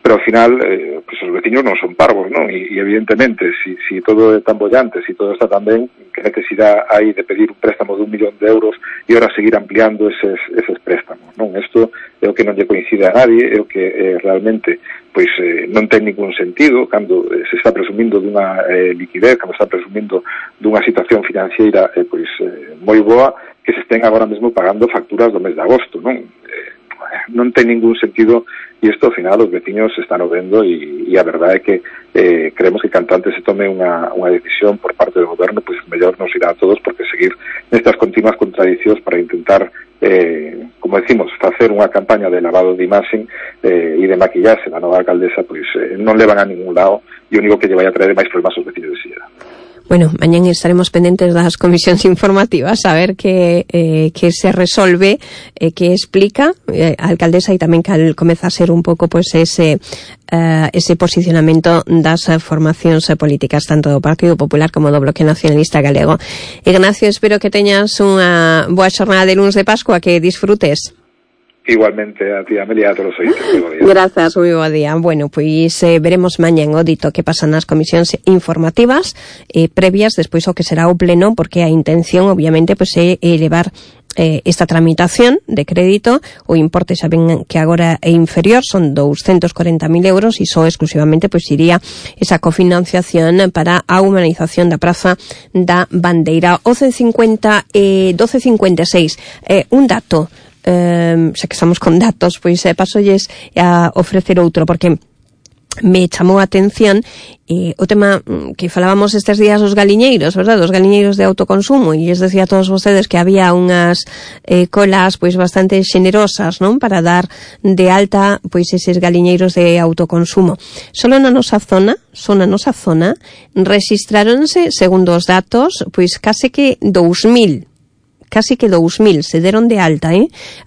pero ao final pues os veciños non son parvos, non? E evidentemente, si todo é tan bollante, si todo está tan ben, que necesidade hai de pedir un préstamo de 1 millón de euros e ahora seguir ampliando eses préstamos, non? Isto é o que non lle coincide a nadie, é o que realmente pois non ten ningún sentido cando se está presumindo dunha liquidez, cando se está presumindo dunha situación financiera moi boa, que se estén agora mesmo pagando facturas do mes de agosto, non? Non ten ningún sentido, e isto ao final os veciños se están vendo, e a verdade é que creemos que canto antes se tome unha decisión por parte do goberno, pois mellor nos irá a todos, porque seguir nestas continuas contradicións para intentar, como decimos, facer unha campaña de lavado de imaxen e de maquillaxe da nova alcaldesa, pois non levan a ningún lado, e o único que lle vai a traer máis problemas aos veciños de Silleda. Bueno, mañán estaremos pendentes das comisións informativas a ver que se resolve, que explica a alcaldesa, e tamén cal comeza a ser un pouco pois ese posicionamento das formacións políticas tanto do Partido Popular como do Bloque Nacionalista Galego. Ignacio, espero que teñas unha boa xornada de luns de Pascua, que disfrutes. Igualmente a ti, Amelia, a todos os ointes. Grazas, moi bo día. Bueno, pois veremos mañán o dito que pasan nas comisións informativas previas despois o que será o pleno, porque a intención obviamente pois é elevar esta tramitación de crédito. O importe xa ven que agora é inferior, son 240.000 euros, e só exclusivamente pois iría esa cofinanciación para a humanización da Praza da Bandeira. 12.56. Un dato, xa que estamos con datos, pois pasolles a ofrecer outro, porque me chamou a atención o tema que falábamos estes días dos galiñeiros, verdad? Dos galiñeiros de autoconsumo, e les decía a todos vostedes que había unhas colas pois bastante xenerosas, non? Para dar de alta pois eses galiñeiros de autoconsumo. Solo na nosa zona rexistráronse, segundo os datos, pois case que 2.000 se deron de alta,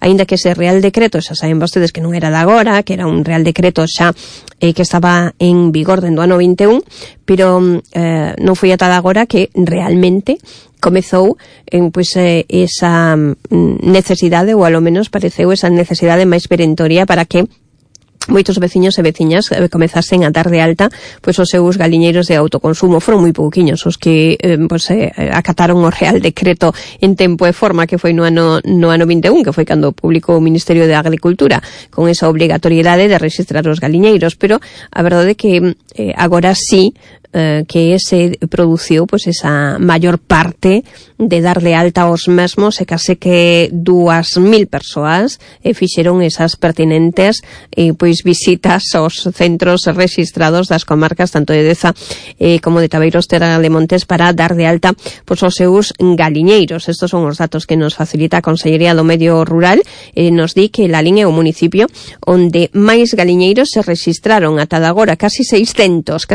aínda que ese Real Decreto, xa saben vostedes que non era de agora, que era un Real Decreto xa que estaba en vigor dentro do ano 21, pero non foi ata de agora que realmente comezou pois esa necesidade, ou alo menos pareceu esa necesidade máis perentoria para que moitos veciños e veciñas comezasen a dar de alta pois os seus galiñeiros de autoconsumo. Foron moi pouquiños os que acataron o Real Decreto en tempo e forma, que foi no ano 21, que foi cando publicou o Ministerio de Agricultura con esa obrigatoriedade de registrar os galiñeiros, pero a verdade é que agora sí que se produciu pois esa maior parte de dar de alta aos mesmos, e case que 2.000 persoas fixeron esas pertinentes pois visitas aos centros registrados das comarcas tanto de Deza como de Tabeiros Terra de Montes para dar de alta pois os seus galiñeiros. Estos son os datos que nos facilita a Consellería do Medio Rural. Nos di que Lalín é o municipio onde máis galiñeiros se registraron ata agora, casi 600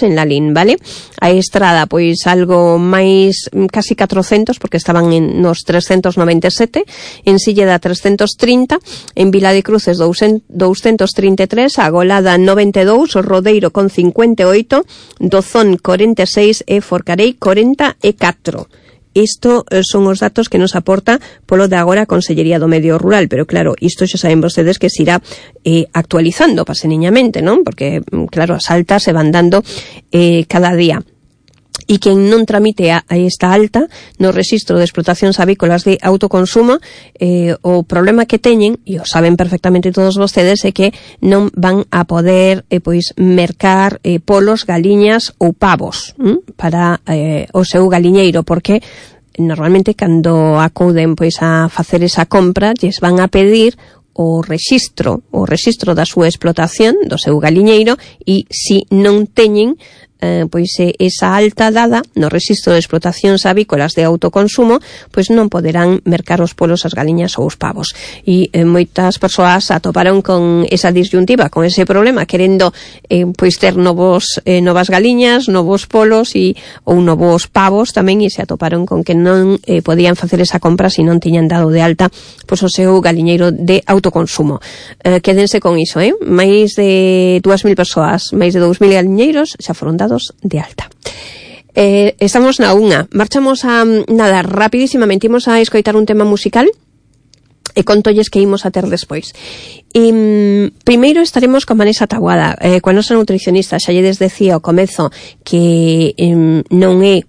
en Lalín, vale? A Estrada, pois algo máis, casi 400, porque estaban nos 397, en Silleda 330, en Vila de Cruces 233, a Golada 92, o Rodeiro con 58, Dozón 46 e Forcarei 44. Isto son os datos que nos aporta polo de agora a Consellería do Medio Rural, pero claro, isto xa saben vostedes que se irá actualizando paseniñamente, non? Porque, claro, as altas se van dando cada día. E quen non tramite a esta alta no rexistro de explotacións avícolas de autoconsumo, o problema que teñen, e o saben perfectamente todos vostedes, é que non van a poder pois mercar polos, galiñas ou pavos para o seu galiñeiro, porque normalmente cando acuden pois a facer esa compra lles van a pedir o rexistro da súa explotación, do seu galiñeiro, e se non teñen pois esa alta dada no rexistro de explotacións avícolas de autoconsumo, pois non poderán mercar os polos, as galiñas ou os pavos. E moitas persoas atoparon con esa disyuntiva, con ese problema, querendo pois ter novas galiñas, novos polos ou novos pavos tamén, e se atoparon con que non podían facer esa compra se non tiñan dado de alta pois o seu galiñeiro de autoconsumo. Quédense con iso, máis de 2.000 persoas, máis de 2.000 galiñeiros xa foron dados de alta. Estamos na unha. Marchamos a nada, rapidísimamente imos a escoitar un tema musical e contolles que imos a ter despois. Primeiro estaremos con Vanessa Taboada, coa nosa nutricionista. Xa lle decía ao comezo que non é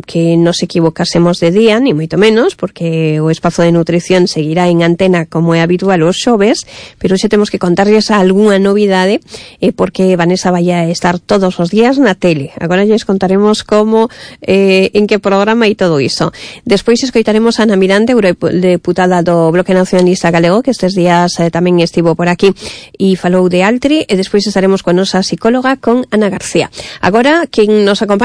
que nos equivocásemos de día, ni moito menos, porque o espazo de nutrición seguirá en antena como é habitual os xoves, pero xe temos que contarles algunha novidade, porque Vanessa vai a estar todos os días na tele. Agora lles contaremos como, en que programa e todo iso. Despois escoitaremos a Ana Miranda, eurodeputada do Bloque Nacionalista Galego, que estes días tamén estivo por aquí e falou de Altri, e despois estaremos con nosa psicóloga, con Ana García. Agora, quen nos acompaña